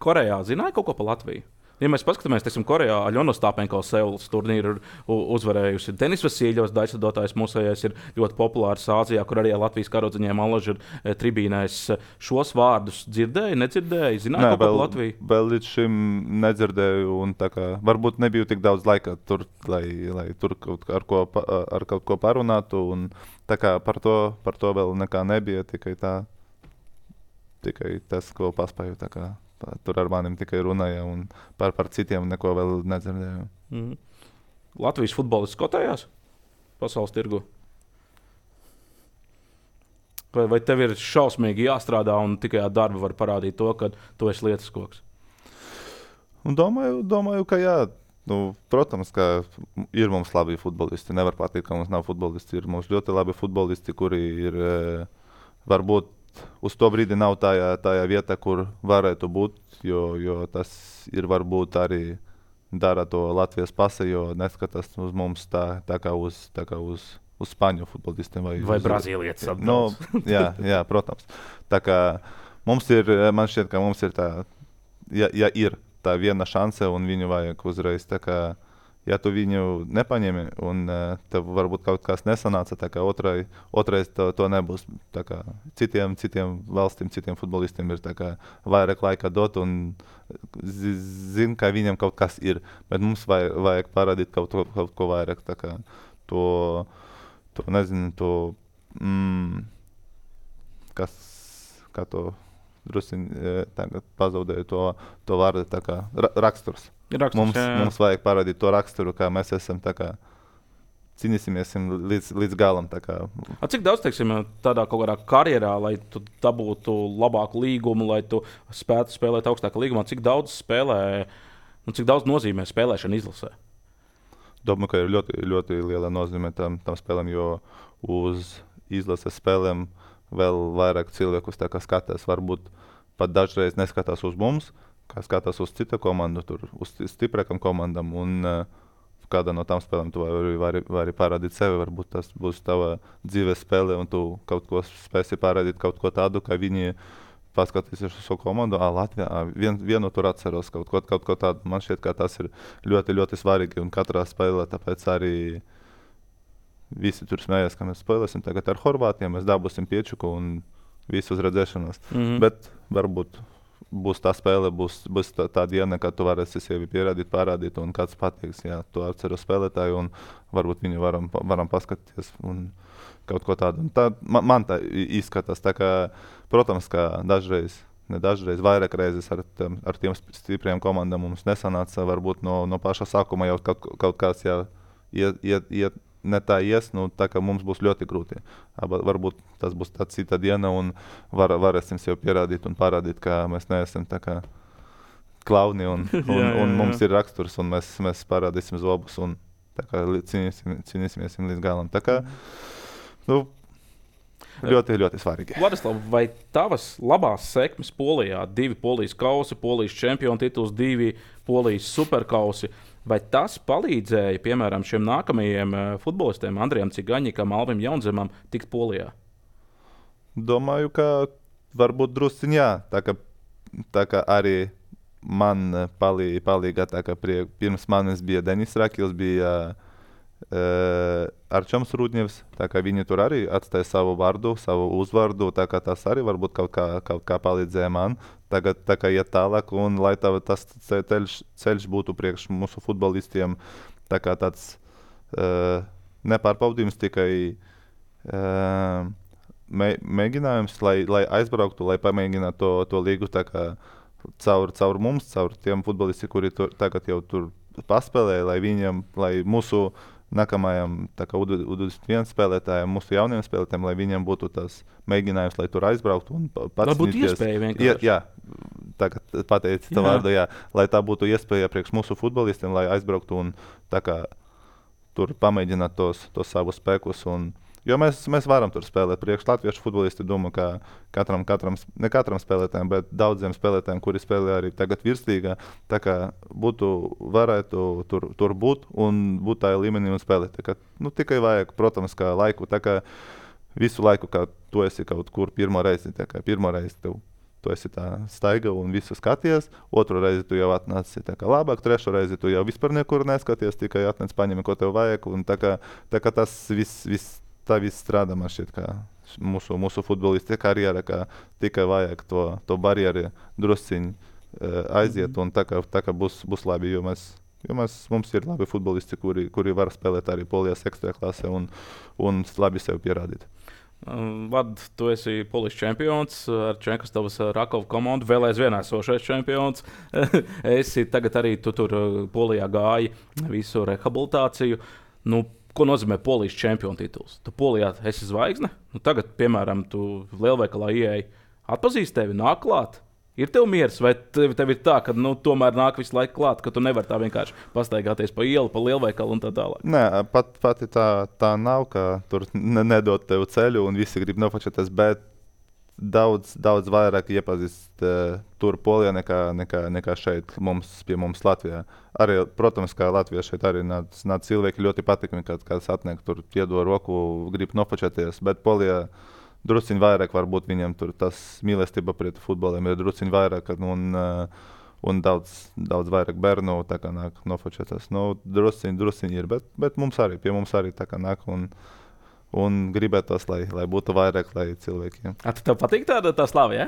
Speaker 2: Korejā zināja kaut ko pa Latviju? Ja mēs paskatāmies, teiksim, Korejā Aļona Ostāpenko Seulas turnīru uzvarējusi. Denis Vasiljovs, daļsadotājs mūsējais, ir ļoti populārs Āzijā, kur arī Latvijas karodziņiem Alaži ir tribīnēs. Šos vārdus dzirdēji, nedzirdēji? Zināji kaut ko par Latviju?
Speaker 1: Vēl līdz šim nedzirdēju, un varbūt nebija tik daudz laika tur, lai tur ar kaut ko parunātu. Un, par to vēl nekā nebija, tikai tas, ko paspēju. Tur ar maniem tikai runāja, un par citiem neko vēl nedzirdēju.
Speaker 2: Latvijas futbolists kotējās pasaules tirgu? Vai tev ir šausmīgi jāstrādā un tikai ar darbu var parādīt to, ka tu esi lietas koks?
Speaker 1: Domāju, ka jā. Protams, ka ir mums labi futbolisti. Nevar pateikt, ka mums nav futbolisti. Ir mums ļoti labi futbolisti, kuri ir varbūt uz to brīdi nav tajā vietā, kur varētu būt, jo tas ir varbūt arī dara to Latvijas pase, jo neskatās uz mums tā kā uz Spāņu futbolistiem.
Speaker 2: Vai Brazīlietis
Speaker 1: apdauts. Jā, protams. Man šķiet, ka mums ir ja ir tā viena šanse un viņu vajag uzreiz, ja tu viņu nepaņemi un tev varbūt kaut kas nesanāca, otrais to nebūs. Citiem valstīm, citiem futbolistiem ir vairāk laika dot un zin, ka viņam kaut kas ir. Bet mums vajag parādīt kaut ko vairāk. Kā to drusiņi tagad pazaudēju to vārdu, raksturs. Mums vajag parādīt to raksturu, kā mēs esam, cīnīsimies līdz galam.
Speaker 2: Cik daudz, teiksim, tādā kaut kādā karjerā, lai tu dabūtu labāku līgumu, lai tu spētu spēlēt augstākā līgumā, cik daudz nozīmē spēlēšana izlasē?
Speaker 1: Domāju, ka ir ļoti, ļoti liela nozīme tam spēlēm, jo uz izlases spēlēm vēl vairāk cilvēkus skatās. Varbūt pat dažreiz neskatās uz mums, kā skatās uz citu komandu, uz stiprākām komandām. Un kādā no tām spēlēm tu vari parādīt sevi. Varbūt tas būs tava dzīves spēle, un tu kaut ko spēsi parādīt, kaut ko tādu, kā viņi paskatīsies uz savu komandu. Latvijā vienu tur atceros, kaut ko tādu. Man šķiet, ka tas ir ļoti, ļoti svarīgi. Un katrā spēlē, tāpēc arī visi tur smējās, ka mēs spēlēsim tagad ar Horvātiem, mēs dabūsim piečuku un visu uz redzēšanos. Bet varbūt būs tā spēle, būs tā diena, kad tu varēsi sevi pierādīt, parādīt, un kāds pateiks, jā, tu atceros spēlētāju, un varbūt viņu varam paskatīties un kaut ko tādu. Man tā izskatās, protams, ka dažreiz vairāk reizes ar tiem stipriem komandām mums nesanāca, varbūt no paša sākuma jau kaut kāds iet ne tā ies, tā kā mums būs ļoti grūti. Varbūt tas būs tā cita diena un varēsim sev pierādīt un parādīt, ka mēs neesam tā kā klauni un mums ir raksturs un mēs parādīsim zobus un cīnīsimies līdz galam. Ļoti, ļoti svarīgi.
Speaker 2: Vladislav, vai tavas labās sekmes Polijā, 2 Polijas kausi, Polijas čempionu tituls, 2 Polijas superkausi, vai tas palīdzēja, piemēram, šiem nākamajiem futbolistiem, Andrijam Cigaņikam, Alvim Jaunzemam, tikt Polijā?
Speaker 1: Domāju, ka varbūt drusciņ jā. Tā kā arī man palīga, pirms manis bija Denis Rakils, bija Arčoms Rudņevs, viņi tur arī atstāja savu vārdu, savu uzvārdu, tas arī varbūt kaut kā palīdzēja man. Tagad iet tālāk, un lai tas ceļš būtu priekš mūsu futbolistiem, tāds nepārbaudījums, tikai mēģinājums, lai aizbrauktu, lai pamēģinātu to līgu caur mums, caur tiem futbolistiem, kuri tagad jau tur paspēlēja, lai mūsu nākamajam U21 spēlētājiem, mūsu jauniem spēlētājiem, lai viņiem būtu tas mēģinājums, lai tur aizbrauktu un pats.
Speaker 2: Lai būtu iespēja vienkārši.
Speaker 1: Jā, tagad pateici tā vārdu, jā. Lai tā būtu iespēja priekš mūsu futbolistiem, lai aizbrauktu un tur pamēģināt tos savus spēkus. Jo mēs varam tur spēlēt. Priekš latviešu futbolisti domā, ka ne katram spēlētājiem, bet daudziem spēlētājiem, kuri spēlē arī tagad virslīgā, varētu tur būt un būt tajā līmenī un spēlēt. Tikai vajag, protams, kā laiku, visu laiku, kā tu esi kaut kur pirmo reizi tev tu esi tā staiga un visu skaties. Otru reizi tu jau atnāci tā kā labāk, trešo reizi tu jau vispār nekur neskaties, tikai atnāc paņemi, ko tev vajag. Un tā kā tas viss strādā, man šķiet, kā mūsu futbolisti karjera, kā tikai vajag to barjeri drusciņi aiziet, un tā kā būs labi, jo mums ir labi futbolisti, kuri var spēlēt arī Polijas ekstraklasē un labi sev pierādīt.
Speaker 2: Vad, tu esi polijas čempions ar Čenkastavas Rakova komandu, vēl aizvien esošais čempions. Esi tagad arī tu tur Polijā gāji visu rehabilitāciju. Nu, ko nozīmē polijas čempiona tituls? Tu Polijā esi zvaigzne? Nu, tagad, piemēram, tu lielveikalā ieeji, atpazīst tevi, nāk klāt. Ir tev miers, vai tev ir tā, ka tomēr nāk visu laiku klāt, ka tu nevari tā vienkārši pastaigāties pa ielu, pa lielveikalu un tā tālāk?
Speaker 1: Nē, pati tā nav, ka tur nedod tev ceļu un visi grib nofočēties, bet daudz vairāk iepazīst tur Polijā nekā šeit pie mums Latvijā. Arī, protams, kā Latvijā šeit arī nāc cilvēki ļoti patīkami, kad atnāk tur iedod roku, grib nofočēties, bet Polijā drusciņ vairāk varbūt viņam tur tas mīlestība pret futboliem ir drusciņ vairāk un daudz vairāk bērnu tā kā nāk nofočēties. Drusciņ ir, bet pie mums arī tā kā nāk un gribētos, lai būtu vairāk, lai cilvēkiem.
Speaker 2: Tev patīk tā slava, ja?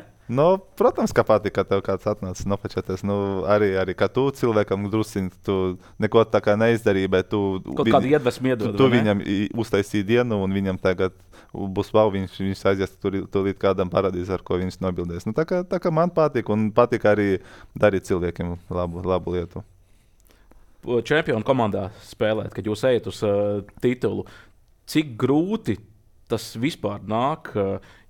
Speaker 1: Protams, ka patīk, ka tev kāds atnāc nofočēties. Arī kā tu cilvēkam drusciņ, tu neko tā kā neizdarīji, bet tu
Speaker 2: kādu iedvesmu iedod.
Speaker 1: Tu viņam uztaisīji dienu un viņam tagad būs wow, viņš aizies tūlīt kādam parādīs, ar ko viņš nobildēs. Tā kā man patīk un patīk arī darīt cilvēkiem labu lietu.
Speaker 2: Čempionu komandā spēlēt, kad jūs ejat uz titulu, cik grūti tas vispār nāk,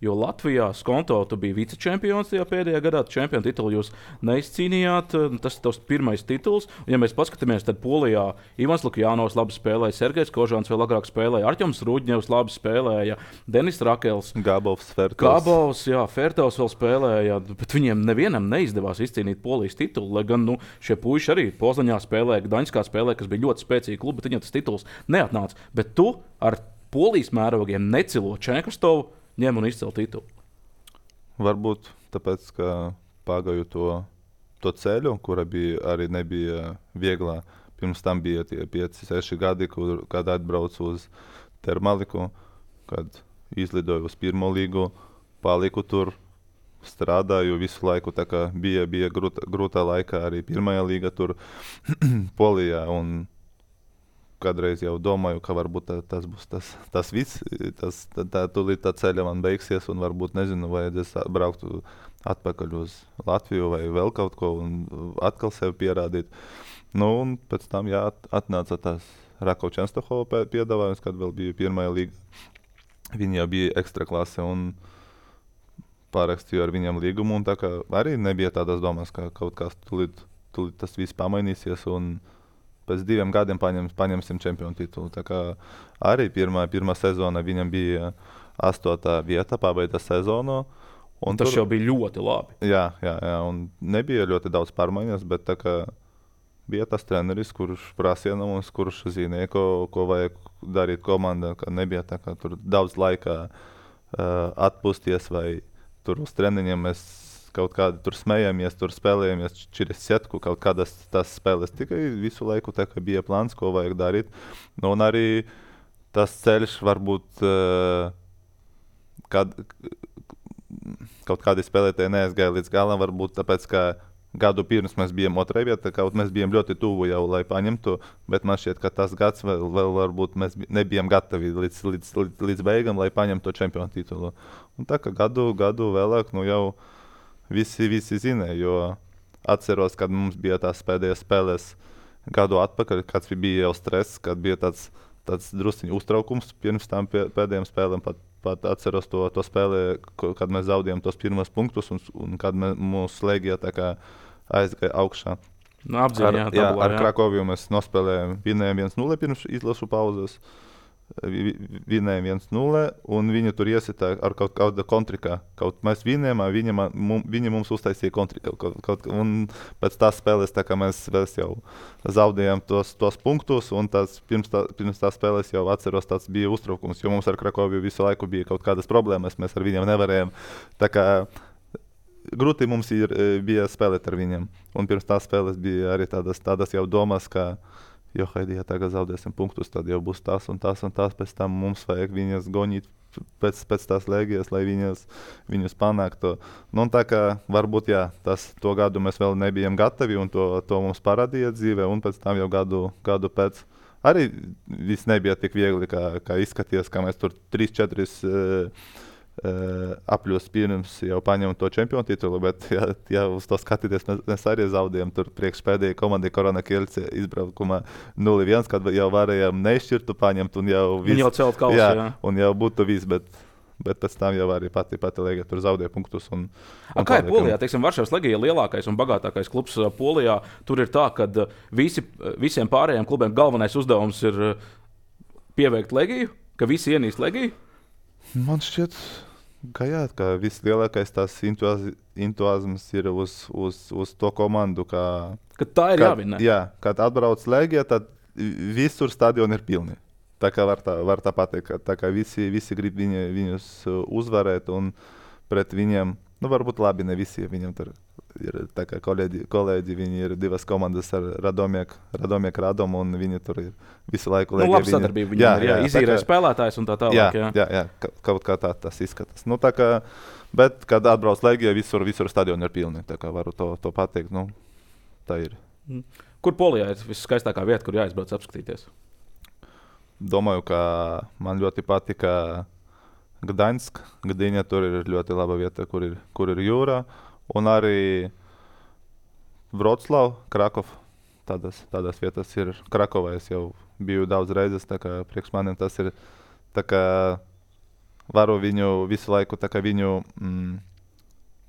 Speaker 2: jo Latvijā Skonto tu biji vicečempions tajā pēdējā gadā, čempionu titulu jūs neizcīnījāt, tas ir tavs pirmais tituls. Un, ja mēs paskatāmies, tad Polijā Ivans Lukjanovs labi spēlēja, Sergejs Kožāns vēl agrāk spēlēja, Arķems Rūģņevs labi spēlēja, Denis Rakels,
Speaker 1: Gabovs,
Speaker 2: Fertovs vēl spēlēja, bet viņiem nevienam neizdevās izcīnīt Polijas titulu, lai gan šie puiši arī Poznaņā spēlēja, Gdaņskā spēlēja, kas bija ļoti spēcīgi klubi, bet viņiem tas tituls neatnāca. Bet tu ar Polijas mērogiem necilo Čenkastavu, ņem un izcel titulu.
Speaker 1: Varbūt tāpēc, ka pagāju to ceļu, kura arī nebija vieglā. Pirms tam bija tie 5-6 gadi, kad atbraucu uz Termaliku, kad izlidoju uz pirmo līgu, paliku tur, strādāju visu laiku. Tā kā bija grūta laika arī pirmajā līga tur Polijā. Un kādreiz jau domāju, ka varbūt tas būs tas viss, tūlīt tā ceļa man beigsies un varbūt, nezinu, vajadzēs braukt atpakaļ uz Latviju vai vēl kaut ko un atkal sev pierādīt. Un pēc tam, atnāca tas Rakova Čenstahova piedāvājums, kad vēl bija pirmajā līga. Viņi jau bija ekstraklase un pārakstīju ar viņam līgumu, un tā kā arī nebija tādas domas, ka kaut kas tūlīt tas viss pamainīsies un pēc 2 gadiem paņemsim čempionu titulu. Tā kā arī pirmā sezona viņam bija 8. vieta, pabeigta sezonu.
Speaker 2: Tas jau bija ļoti labi.
Speaker 1: Jā, un nebija ļoti daudz pārmaiņas, bet tā kā bija tas treneris, kurš prasīja no mums, kurš zināja, ko vajag darīt komandā, ka nebija tā kā tur daudz laika atpūsties vai tur uz treniņiem mēs kaut kādi tur smējamies, tur spēlējamies через сетку, kaut kādas tas spēles. Tikai visu laiku tā kā bija plāns, ko vajag darīt. Un arī tas ceļš varbūt kaut kādi spēlētāji neaizgāja līdz galam, varbūt tāpēc, ka gadu pirms mēs bijām otrajā vietā, kaut mēs bijām ļoti tuvu jau, lai paņemtu, bet man šķiet, ka tas gads vēl varbūt mēs nebijām gatavi līdz beigām, lai paņemtu čempionu titulu. Un tā kā gadu vēlāk, jau visi zināja, jo atceros, kad mums bija tās pēdējās spēles gadu atpakaļ, kad bija jau stress, kad bija tāds drusciņu uztraukums pirms tam pēdējām spēlēm. Pat atceros to spēlē, kad mēs zaudējām tos pirmos punktus un kad mūsu slēgija tā kā aizgāja augšā. Ar Krakoviju mēs nospēlējām, vinējām 1-0 pirms izlašu pauzes. Vinējām 1-0 un viņi tur iesita ar kaut kāda kontrikā. Kaut mēs vinējām, viņi mums uztaisīja kontrika. Un pēc tās spēles tā kā mēs jau zaudējām tos punktus un pirms tās spēles jau atceros tāds bija uztraukums, jo mums ar Krakoviju visu laiku bija kaut kādas problēmas, mēs ar viņiem nevarējām. Tā kā grūti mums bija spēlēt ar viņiem. Un pirms tās spēles bija arī tādas jau domas, ka jo, ja tagad zaudēsim punktus, tad jau būs tas un tas un tas. Pēc tam mums vajag viņas gonīt pēc tās lēgijas, lai viņus panāktu. Nu, tā kā varbūt to gadu mēs vēl nebijām gatavi un to mums parādīja dzīve. Un pēc tam jau gadu pēc arī viss nebija tik viegli, kā izskaties, ka mēs tur 3-4 apļos pirms jau paņēmu to čempionu titulu, bet ja uz to skatīties, mēs arī zaudējām tur priekšpēdējai komandai Korona Kielce izbraukumā 0-1, kad jau varējām nešķirtu paņemt un jau viss.
Speaker 2: Jau celt kausu, jā.
Speaker 1: Un jau būtu viss, bet pēc tam jau arī pati Legija tur zaudēja punktus.
Speaker 2: Kā ir Polijā? Teiksim, Varšavas Legija ir lielākais un bagātākais klubs Polijā. Tur ir tā, ka visiem pārējiem klubiem galvenais uzdevums ir pieveikt Legiju, ka visi ienīst Legiju?
Speaker 1: Man šķiet, ka vislielākais tās entuziasms ir uz to komandu.
Speaker 2: Ka tā ir jāvinē.
Speaker 1: Jā, kad atbrauc Legija, tad visur stadioni ir pilni. Tā kā var tā pateikt, tā kā visi grib viņus uzvarēt un pret viņiem, varbūt labi, ne visi, viņiem tur ir tā kā kolēģi, viņi ir divas komandas ar Radom, un viņi tur ir visu laiku.
Speaker 2: Labi sadarbība viņiem ir, izīrē spēlētājs un tā tālāk.
Speaker 1: Jā, kaut kā tā tas izskatās. Tā kā, bet, kad atbrauc Legija, visur stadioni ir pilni, tā kā varu to pateikt, tā ir.
Speaker 2: Kur Polijā ir viskaistākā vieta, kur jāizbrauc apskatīties?
Speaker 1: Domāju, ka man ļoti patika Gdaņska. Gdyņa tur ir ļoti laba vieta, kur ir jūra. Un arī Vroclav, Krakov. Tādas vietas ir Krakovā. Es jau biju daudz reizes, tā kā priekš maniem tas ir. Tā kā varu viņu visu laiku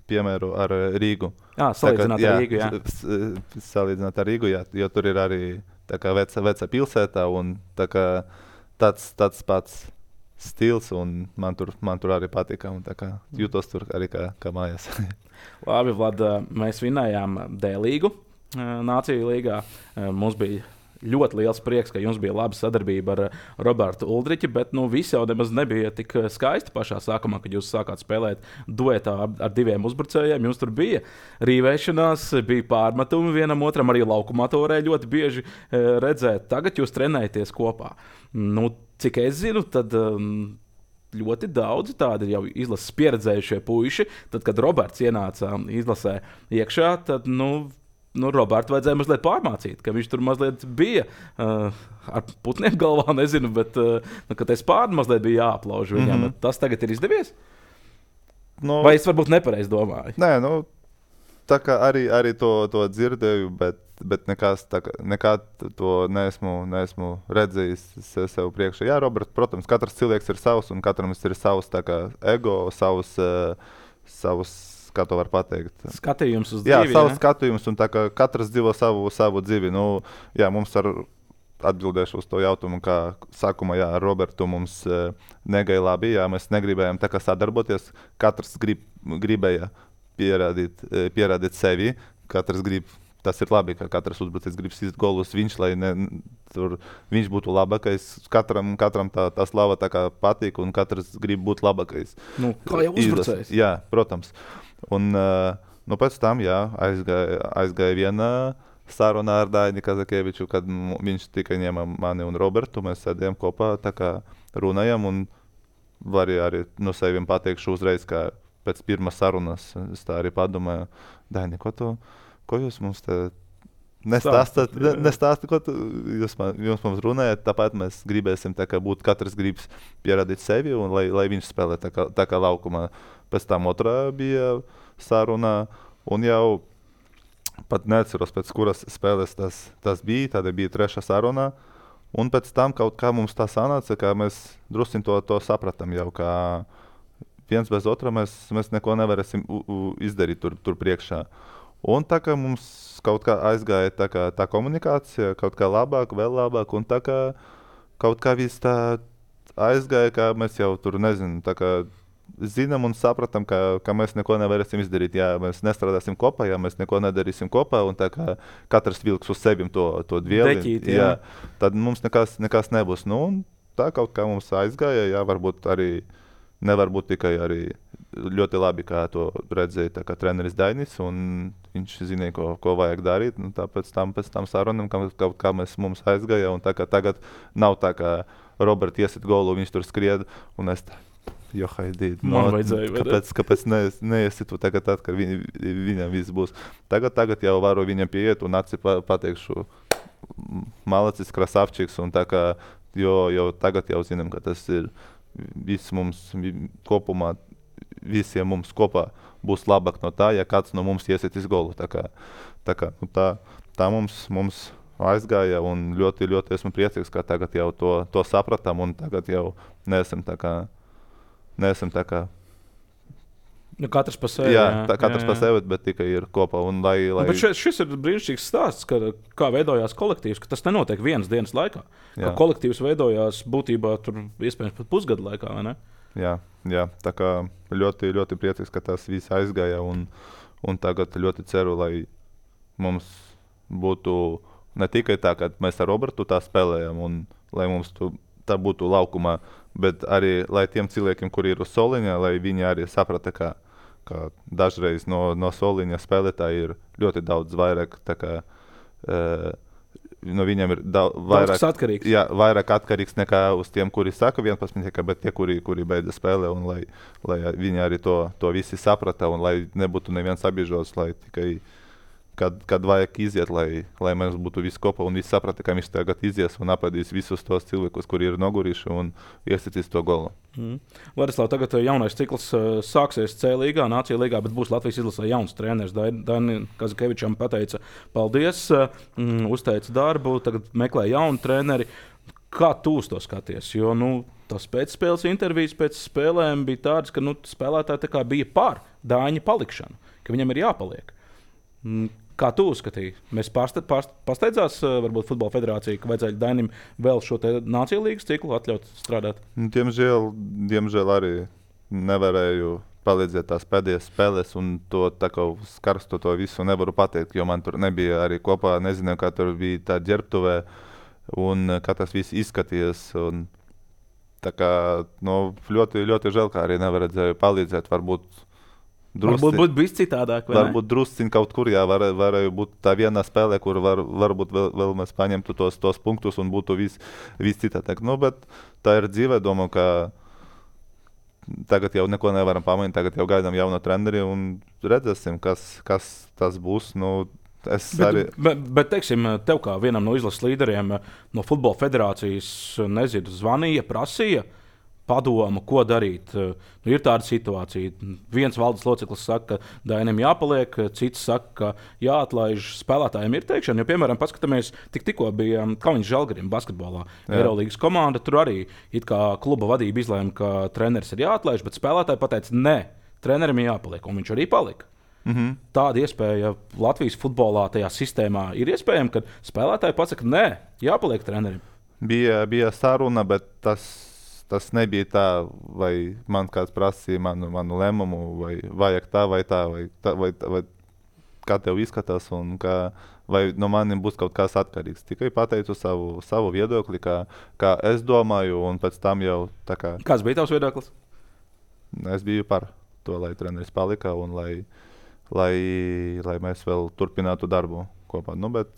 Speaker 1: piemēru ar Rīgu.
Speaker 2: Salīdzināt ar Rīgu, jā.
Speaker 1: Salīdzināt ar Rīgu, jā, jo tur ir arī tā kā veca pilsēta un tā kā tāds pats stils, un man tur arī patika, un tā kā jūtos tur arī kā mājās.
Speaker 2: Labi, Vlad, mēs vinējām D-līgu Nāciju līgā. Mums bija ļoti liels prieks, ka jums bija laba sadarbība ar Robertu Uldriķi, bet viss jau nemaz nebija tik skaisti pašā sākumā, kad jūs sākāt spēlēt duetā ar diviem uzbrucējiem. Jums tur bija rīvēšanās, bija pārmetumi vienam otram, arī laukumā to varēja ļoti bieži redzēt. Tagad jūs trenējaties kopā. Cik es zinu, tad ļoti daudzi tādi jau izlases pieredzējušie puiši. Tad, kad Roberts ienāca izlasē iekšā, tad Robertu vajadzēja mazliet pārmācīt, ka viņš tur mazliet bija ar putniem galvā, nezinu, bet ka tas pāri mazliet bija jāaplauž viņam. Tas tagad ir izdevies? Vai es varbūt nepareizi domāju?
Speaker 1: Nē, tā kā arī to dzirdēju, bet nekad to neesmu redzējis sev priekšā. Jā, Roberts, protams, katrs cilvēks ir savs, un katram ir savs ego, savs kā to var pateikt.
Speaker 2: Skatījums uz dzīvi.
Speaker 1: Jā, savs skatījums, un tā kā katrs dzīvo savu dzīvi. Mums atbildēšu uz to jautājumu, kā sākumā, ar Robertu mums negaja labi, mēs negribējām tā kā sadarboties. Katrs gribēja pierādīt sevi, tas ir labi, ka katrs uzbrucējs grib sist golus lai viņš būtu labākais. Katram tā slava tā kā patīk, un katrs grib būt labākais.
Speaker 2: Kā jau uzbrucējs.
Speaker 1: Jā, protams. Un pēc tam aizgāja viena saruna ar Daini Kazakieviču, kad viņš tikai ņēma mani un Robertu. Mēs sēdējām kopā, tā kā runājam, un var arī no sevim pateikšu uzreiz, ka pēc pirmās sarunas es tā arī padomāju, Daini, ko jūs mums te nestāstāt, ko jūs mums runājat, tāpēc mēs gribēsim būt, katrs gribas pierādīt sevi, un lai viņš spēlē tā kā laukumā. Pēc tam otrā bija saruna, un jau pat neatceros, pēc kuras spēles tas bija, tad bija trešā saruna, un pēc tam kaut kā mums tā sanāca, ka mēs drusciņ to sapratām jau, ka viens bez otra mēs neko nevarēsim izdarīt tur priekšā. Un tā kā mums kaut kā aizgāja tā komunikācija, kaut kā labāk, vēl labāk, un tā kā kaut kā viss tā aizgāja, ka mēs jau tur, nezinu, tā kā zinām un sapratam, ka mēs neko nevarēsim izdarīt, ja mēs nestrādāsim kopā, ja mēs neko nedarīsim kopā, un tā kā katrs vilks uz sevim to dvieli,
Speaker 2: Deķīt,
Speaker 1: tad mums nekas nebūs. Un tā kaut kā mums aizgāja, varbūt arī, nevar būt tikai arī ļoti labi, kā to redzēja tā kā treneris Dainis, un viņš zināja, ko vajag darīt. Nu, pēc tam sarunam, kā mums aizgāja, un tagad nav tā, kā Roberts iesit golu, viņš tur skried, un es tā, haidīt,
Speaker 2: man vajadzēja.
Speaker 1: Kāpēc neiesitu tagad, kad viņam viss būs. Tagad jau varu viņam pieiet un pateikšu, malacis, krasavčiks, un tā kā, jo tagad jau zinām, ka tas ir viss mums kopumā, visiem mums kopā būs labāk no tā, ja kāds no mums iesitīs golu. Tā mums aizgāja, un ļoti, ļoti esmu priecīgs, ka tagad jau to sapratām, un tagad jau neesam tā kā
Speaker 2: katrs pa sevi.
Speaker 1: Katrs pa sevi, bet tikai ir kopā.
Speaker 2: Bet šis ir brīnišķīgs stāsts, kā veidojās kolektīvs, ka tas nenotiek vienas dienas laikā. Ka kolektīvs veidojās būtībā tur iespējams pat pusgadu laikā, vai ne?
Speaker 1: Jā, tā kā ļoti, ļoti priecīgs, ka tas viss aizgāja, un tagad ļoti ceru, lai mums būtu ne tikai tā, ka mēs ar Robertu tā spēlējam, un lai mums tā būtu laukumā, bet arī, lai tiem cilvēkiem, kuri ir uz soliņa, lai viņi arī saprata, ka dažreiz no soliņa spēlētāji ir ļoti daudz vairāk, tā kā no viņiem ir vairāk atkarīgs nekā uz tiem, kuri saka 11, bet tie, kuri beidza spēlē, un lai viņi arī to visi saprata, un lai nebūtu neviens apbiežos, lai tikai kad vajag iziet, lai mēs būtu visi kopā un visi saprata, ka viņš tagad izies un apēdīs visus tos cilvēkus, kuri ir nogurījuši un iesitīs to golu.
Speaker 2: Ladislav, tagad jaunais cikls sāksies C līgā, Nācija līgā, bet būs Latvijas izlasē jauns treneris. Dainim Kazikevičam pateica paldies, uzteica darbu, tagad meklē jaunu treneri. Kā tu uz to skaties? Jo tas pēcspēles intervijas pēc spēlēm bija tādas, ka spēlētāji tā kā bija par Daiņa palikšanu, ka viņam ir jāpaliek. Kā tu uzskatīji? Mēs pasteidzās, varbūt Futbola federācija, ka vajadzēja Dainim vēl šo Nāciju līgas ciklu atļaut strādāt?
Speaker 1: Diemžēl arī nevarēju palīdzēt tās pēdējās spēles, un to tā kā uz karstu to visu nevaru pateikt, jo man tur nebija arī kopā, nezinu, kā tur bija tā ģērbtuvē, un kā tas viss izskatījās. Un, tā kā, ļoti, ļoti žēl, kā arī nevarēju palīdzēt, varbūt
Speaker 2: būtu bijis citādāk.
Speaker 1: Varbūt drusciņ kaut kur, varēja būt tā viena spēle, kur varbūt vēl mēs paņemtu tos punktus un būtu viss citādāk. Bet tā ir dzīve, domāju, ka tagad jau neko nevaram pamainīt, tagad jau gaidām jauno treneri un redzēsim, kas tas būs. Bet teiksim, tev kā vienam no izlases līderiem no Futbola federācijas, zvanīja, prasīja padomu, ko darīt. Ir tāda situācija. Viens valdes loceklis saka, ka Dainim jāpaliek, cits saka, ka jāatlaiž. Spēlētājiem ir teikšana. Jo, piemēram, paskatāmies, tikko bija Kaunis Žalgirim basketbolā. Eirolīgas komanda, tur arī it kā kluba vadība izlēma, ka treneris ir jāatlaiž, bet spēlētāji pateica, nē, trenerim ir jāpaliek, un viņš arī palika. Tāda iespēja Latvijas futbolā tajā sistēmā ir iespējama, kad spēlētāji pasaka, nē, jāpaliek trenerim. Bija saruna, bet tas nebija tā, vai man kāds prasīja manu lēmumu, vai vajag tā, vai kā tev izskatās, un vai no manim būs kaut kas atkarīgs. Tikai pateicu savu viedokli, kā es domāju, un pēc tam jau tā kā...
Speaker 2: Kāds bija tavs viedoklis?
Speaker 1: Es biju par to, lai treneris palika, un lai mēs vēl turpinātu darbu kopā. Bet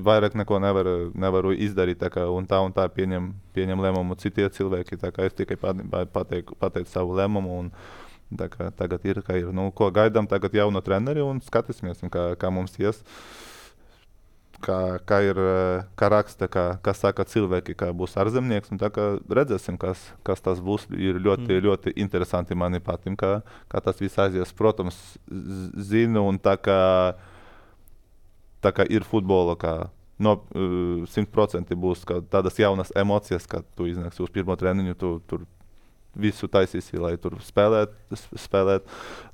Speaker 1: vairāk neko nevaru izdarīt, un tā pieņem lēmumu citi cilvēki. Es tikai pateicu savu lēmumu, un tagad ir, kā ir. Ko gaidām tagad jauno treneri, un skatīsimies, kā mums ies. Kā raksta, kā saka cilvēki, kā būs ārzemnieks, un redzēsim, kas tas būs. Ir ļoti, ļoti interesanti mani patīk, kā tas viss aizies. Protams, zinu, un tā kā ir futbola, kā 100% būs tādas jaunas emocijas, kad tu iznāksi uz pirmo treniņu, tu tur visu taisīsi, lai tur spēlēt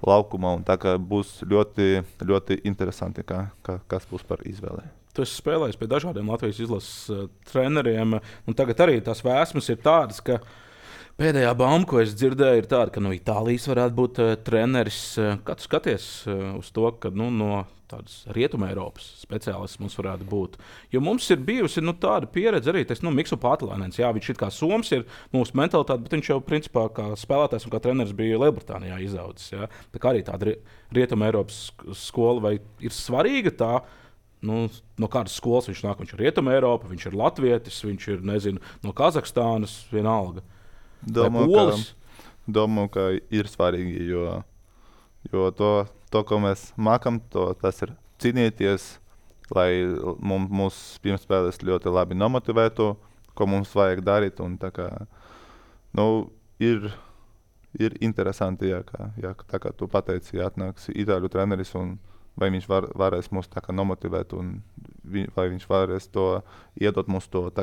Speaker 1: laukumā, un tā kā būs ļoti, ļoti interesanti, kas būs par izvēli.
Speaker 2: Tu esi spēlējis pie dažādiem Latvijas izlases treneriem, un tagad arī tās vēsmas ir tādas, ka Pēdējā bauма, ko es dzirdēju, ir tāda, ka no Itālijas varētu būt treneris. Kā tu skaties uz to, ka no tādas Rietumē Eiropas speciālists mums varētu būt? Jo mums ir bijusi tāda pieredze arī, Mikls Pātelainens. Jā, viņš ir kā Soms, ir mūsu mentalitāte, bet viņš jau principā kā spēlētājs un kā treneris bija Lielbritānijā izaudzis. Jā. Tā kā arī tāda Rietumē Eiropas skola, vai ir svarīga tā? No kādas skolas viņš nāk? Viņš ir Rietumē Eiropa, viņš ir latvietis, viņš ir, nezinu, no Kazahstānas, vienalga.
Speaker 1: Domāju, ka ir svarīgi, jo to, ko mēs mākam, tas ir cīnīties, lai mūsu pirmspēles ļoti labi nomotivētu, ko mums vajag darīt. Un ir interesanti, tā kā tu pateici, atnāks itāļu treneris, un vai viņš varēs mūs nomotivēt, un vai viņš varēs to iedot mums to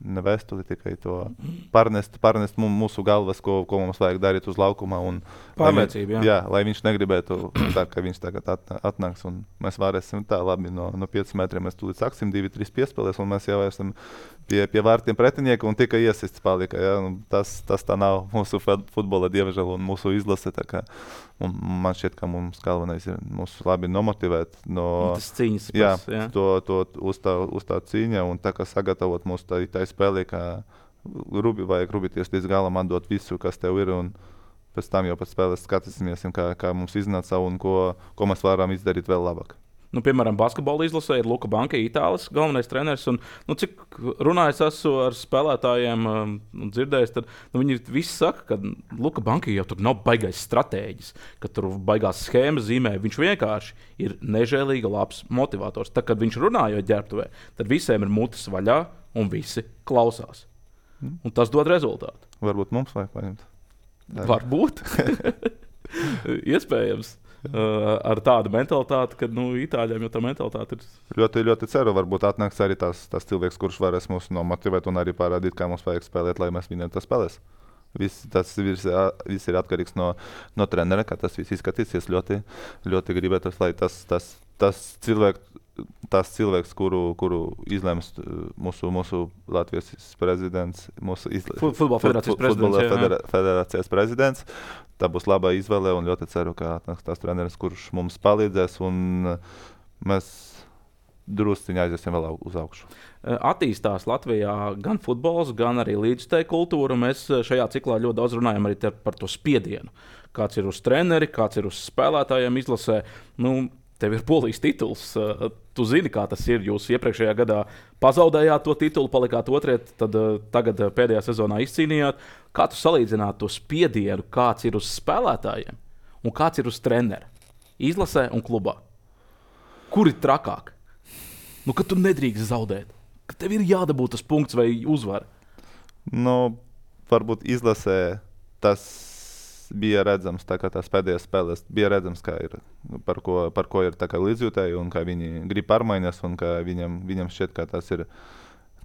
Speaker 1: ne vēstuli, tikai to pārnest mūsu galvas, ko mums vajag darīt uz laukuma.
Speaker 2: Pārliecība,
Speaker 1: jā, lai viņš negribētu tā, ka viņš tagad atnāks, un mēs varēsim tā labi no 5 metriem. Mēs tūlīt sāksim 2-3 piespēlēs, un mēs jau esam pie vārtiem pretinieka, un tikai iesists palika. Jā, tas tā nav mūsu futbola, diemžēl, un mūsu izlase. Man šķiet, ka mums galvenais ir mūs labi nomotivēt.
Speaker 2: Tas cīņas
Speaker 1: pēc, jā. To uz tā cīņa, un tā kā sagatavot mūs tā spēlē, kā vajag rūpīties līdz galam, atdot visu, kas tev ir, un pēc tam jau pēc spēles skatīsimies, kā mums iznāca un ko mēs varam izdarīt vēl labāk.
Speaker 2: Piemēram, basketbola izlasē ir Luka Banka, Itālijas galvenais treneris. Un, cik runājis esmu ar spēlētājiem, dzirdējis, tad viņi visi saka, ka Luka Banka jau tur nav baigais stratēģis, ka tur baigās schēmas zīmē. Viņš vienkārši ir nežēlīgi labs motivators. Tad, kad viņš runājot ģērbtuvē, tad visiem ir mutes vaļā un visi klausās. Un tas dod rezultātu.
Speaker 1: Varbūt mums vajag paņemt.
Speaker 2: Varbūt. Iespējams. Ar tādu mentalitāti, ka Itāļiem jau tā mentalitāte ir.
Speaker 1: Ļoti, ļoti ceru, varbūt atnāks arī tas cilvēks, kurš varēs mūs nomotivēt un arī parādīt, kā mums vajag spēlēt, lai mēs viņiem tas spēlēs. Tas viss ir atkarīgs no trenera, kā tas viss izskatīsies. Ļoti, ļoti gribētu, lai tas cilvēks, kuru izlems mūsu Latvijas prezidents,
Speaker 2: Futbola
Speaker 1: federācijas prezidents, tā būs laba izvēle, un ļoti ceru, ka atnāks tas treneris, kurš mums palīdzēs, un mēs drusciņi aiziesim vēl uz augšu.
Speaker 2: Attīstās Latvijā gan futbols, gan arī līdzstēju kultūra. Mēs šajā ciklā ļoti daudz runājam arī par to spiedienu. Kāds ir uz treneri, kāds ir uz spēlētājiem izlasē. Tev ir Polijas tituls. Tu zini, kā tas ir. Jūs iepriekšējā gadā pazaudējāt to titulu, palikāt otrie, tad tagad pēdējā sezonā izcīnījāt. Kā tu salīdzinātu to spiedienu, kāds ir uz spēlētājiem un kāds ir uz trenera? Izlasē un klubā. Kur ir trakāk? Ka tu nedrīkst zaudēt. Ka tev ir jādabū tas punkts vai uzvara.
Speaker 1: Varbūt izlasē tas bija redzams, tā kā tās pēdējās spēlēs bija redzams, kā ir, par ko ir līdzjūtēji, un kā viņi grib pārmaiņas, un kā viņam šķiet, ka tas ir,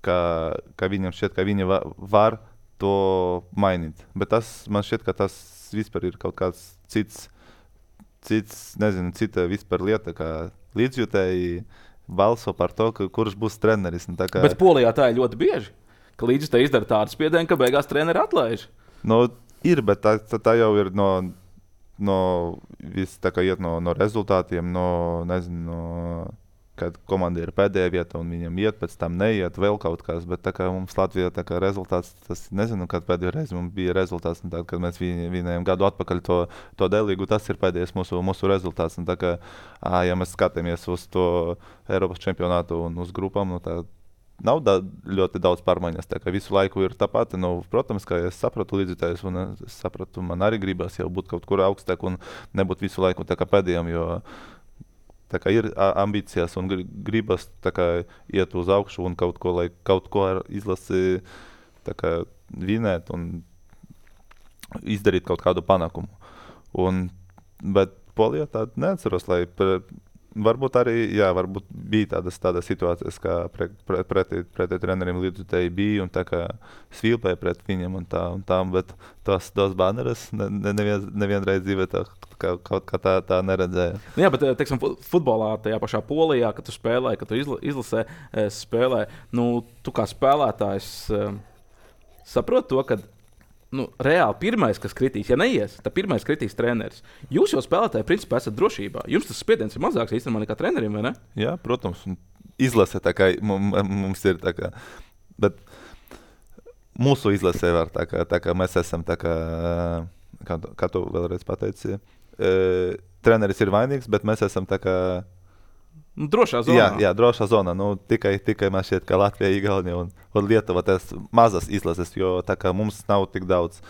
Speaker 1: ka viņam šķiet, ka viņi var to mainīt. Bet man šķiet, ka tas vispār ir kaut kāds cits, nezinu, cita vispār lieta, kā līdzjūtēji balso par to, kurš būs treneris.
Speaker 2: Bet Polijā tā ir ļoti bieži, ka līdzjūtēji izdara tādu spiedienu, ka beigās treneri atlaiž.
Speaker 1: Ir, bet tā jau ir viss iet no rezultātiem, kad komanda ir pēdējā vieta un viņam iet, pēc tam neiet vēl kaut kas. Bet mums Latvijā rezultāts, tas nezinu, kad pēdējo reizi mums bija rezultāts. Tad, kad mēs vinējām gadu atpakaļ to D-līgu, tas ir pēdējais mūsu rezultāts. Ja mēs skatāmies uz to Eiropas čempionātu un uz grupām, nav ļoti daudz pārmaiņas. Visu laiku ir tāpat. Protams, ka es sapratu līdzjutējus, un es sapratu, man arī gribas jau būt kaut kur augstāk un nebūt visu laiku pēdējiem, jo ir ambīcijas un gribas iet uz augšu un kaut ko ar izlasi vinēt un izdarīt kaut kādu panākumu. Bet Polijā tādu neatceros, lai varbūt bija tādas situācijas, kā pretī treneriem līdzjutēji bija un svilpēja pret viņiem un tā, bet tos baneres nevienreiz dzīvē kaut kā tā neredzēja.
Speaker 2: Jā, bet, teiksim, futbolā tajā pašā Polijā, kad tu spēlē, kad tu izlasē spēlē, tu kā spēlētājs saprot to, ka reāli pirmais, kas kritīs, ja neies, tad pirmais kritīs treneris. Jūs jau spēlētāji, principā, esat drošībā. Jums tas spiediens ir mazāks īstenībā nekā trenerim, vai ne?
Speaker 1: Jā, protams. Izlase tā kā mums ir tā kā. Bet mūsu izlasē var tā kā mēs esam tā kā tu vēlreiz pateici, treneris ir vainīgs, bet mēs esam tā kā
Speaker 2: drošā zonā.
Speaker 1: Jā, drošā zonā. Tikai man šķiet, ka Latvija, Igaunija un Lietuva tas mazas izlases, jo tā kā mums nav tik daudz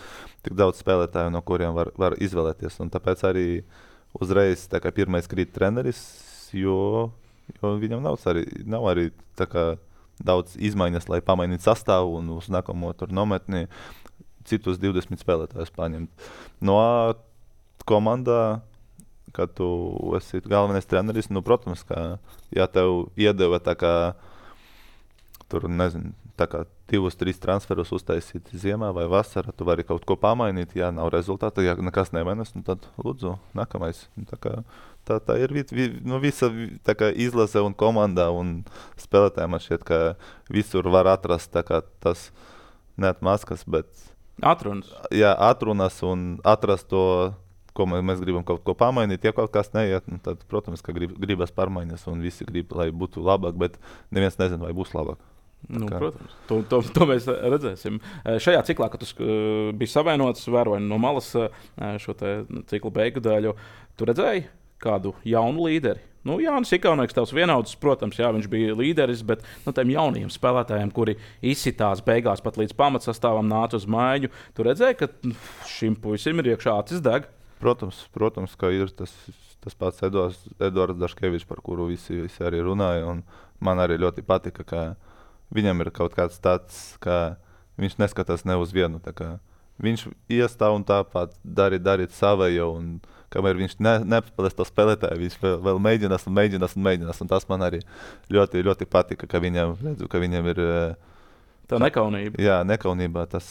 Speaker 1: spēlētāju, no kuriem var izvēlēties. Un tāpēc arī uzreiz tā kā pirmais krīt treneris, jo viņam nav arī tā kā daudz izmaiņas, lai pamainītu sastāvu un uz nākamo tur nometni citus 20 spēlētājus paņemt. No komandā, kad tu esi galvenais treneris, protams, ka ja tev iedeva tā kā tur, nezinu, tā kā 2-3 transferus uztaisīt ziemā vai vasarā, tu vari kaut ko pamainīt, ja nav rezultāta, ja nekas nemainas, tad lūdzu, nākamais. Tā ir visa tā kā izlase un komanda un spēlētāji man šķiet, ka visur var atrast tā kā tas neatmaskas, bet
Speaker 2: atrunas.
Speaker 1: Jā, atrunas un atrast to, ko mēs gribam kaut ko pamainīt. Ja kaut kas neiet, tad, protams, ka gribas pārmaiņas un visi grib, lai būtu labāk, bet neviens nezina, vai būs labāk.
Speaker 2: Protams, to mēs redzēsim. Šajā ciklā, kad tu biji savainots, vēroji no malas šo ciklu beigu daļu, tu redzēji kādu jaunu līderi? Jānis Ikaunieks, tavs vienaudzis, protams, jā, viņš bija līderis, bet tiem jaunajiem spēlētājiem, kuri izsitās beigās pat līdz pamatsastāvam, nāca uz māju, tu redzēji, ka šim puisim ir iekšā acis deg?
Speaker 1: Protams, ka ir tas pats Eduards Daškevičs, par kuru visi arī runāja, un man arī ļoti patika, ka viņam ir kaut kāds tāds, ka viņš neskatās ne uz vienu, tā kā viņš iestāv un tāpat darīt savējo, un kamēr viņš nespēlēs to spēlētāju, viņš vēl mēģinās, un tas man arī ļoti, ļoti patika, ka viņam ir
Speaker 2: tā nekaunība.
Speaker 1: Jā, nekaunība, tas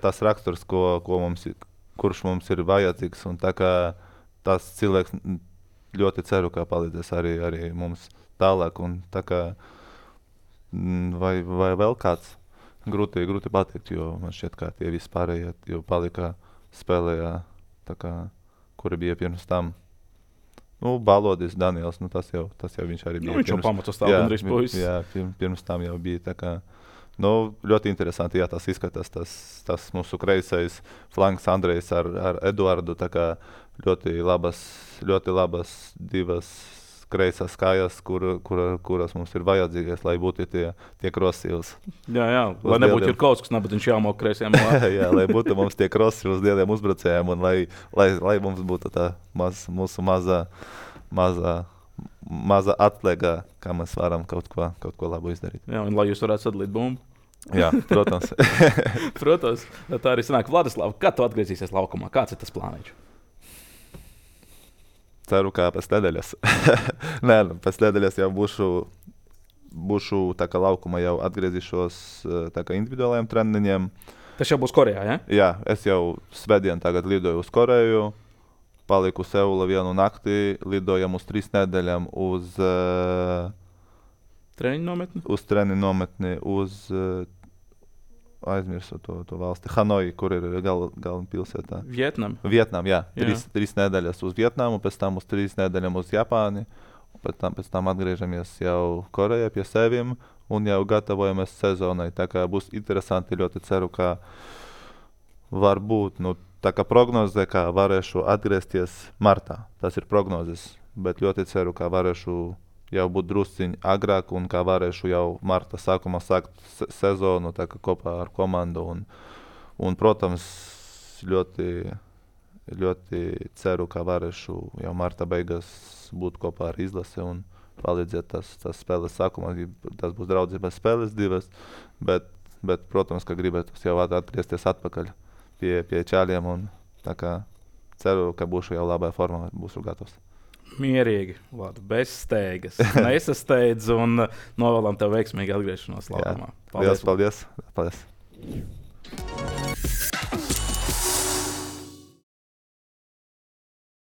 Speaker 1: tas raksturs, kurš mums ir vajadzīgs, un tā kā tas cilvēks ļoti ceru, ka palīdzēs arī mums tālāk, un tā kā vai vēl kāds grūti pateikt, jo man šķiet, ka tie visi pārējie jau palika spēlējā, tā kā, kuri bija pirms tam. Balodis, Daniels, tas jau viņš arī bija.
Speaker 2: Viņš jau pamatos tā gandrīz puisis.
Speaker 1: Jā, pirms tam jau bija, tā kā, ļoti interesanti, jā, tas izskatās, tas mūsu kreisais flanks Andrejs ar Eduardu, tā kā ļoti labas divas kreisās kājas, kuras mums ir vajadzīgas, lai būtu tie krosīvs.
Speaker 2: Jā, lai nebūtu Jurkovskis, bet viņš jāmok kreisiem.
Speaker 1: Jā, lai būtu mums tie krosīvs lieliem uzbrucējiem, un lai mums būtu tā mūsu maza atlieka, kā mēs varam kaut ko labu izdarīt.
Speaker 2: Jā, un lai jūs varētu sadalīt bumbu.
Speaker 1: Jā, protams.
Speaker 2: Protams, tā arī sanāk. Vladislav, kad tu atgriezīsies laukumā? Kāds ir tas plāniņš?
Speaker 1: Ceru, ka pēc nedēļas. Nē, pēc nedēļas jau būšu tā kā laukumā, jau atgriezīšos tā kā individuālajiem treniņiem.
Speaker 2: Tas jau būs Korejā, ja?
Speaker 1: Jā, es jau svētdien tagad lidoju uz Koreju, paliku Seula vienu nakti, lidojam uz 3 nedēļām uz treniņu nometni, uz aizmirsu to valsti, Hanoi, kur ir galvenā pilsētā. Vietnam, jā. 3 nedēļas uz Vietnamu, pēc tam uz 3 nedēļām uz Japāni, pēc tam atgriežamies jau Korejā pie seviem un jau gatavojamies sezonai. Tā kā būs interesanti, ļoti ceru, ka varbūt, tā kā prognozē, ka varēšu atgriezties martā. Tas ir prognozes, bet ļoti ceru, ka varēšu jau būt drusciņi agrāk un kā varēšu jau marta sākumā sākt sezonu tā kā kopā ar komandu. Un protams, ļoti, ļoti ceru, ka varēšu jau marta beigās būt kopā ar izlasi un palīdzēt tas spēles sākumā. Tas būs draudzības spēles 2, bet protams, ka gribētu jau atgriezties atpakaļ pie čāļiem un tā kā ceru, ka būšu jau labā formā, būšu gatavs.
Speaker 2: Mierīgi, bez steigas. Nesasteidz un novēlam tev veiksmīgu atgriešanos laukumā.
Speaker 1: Paldies.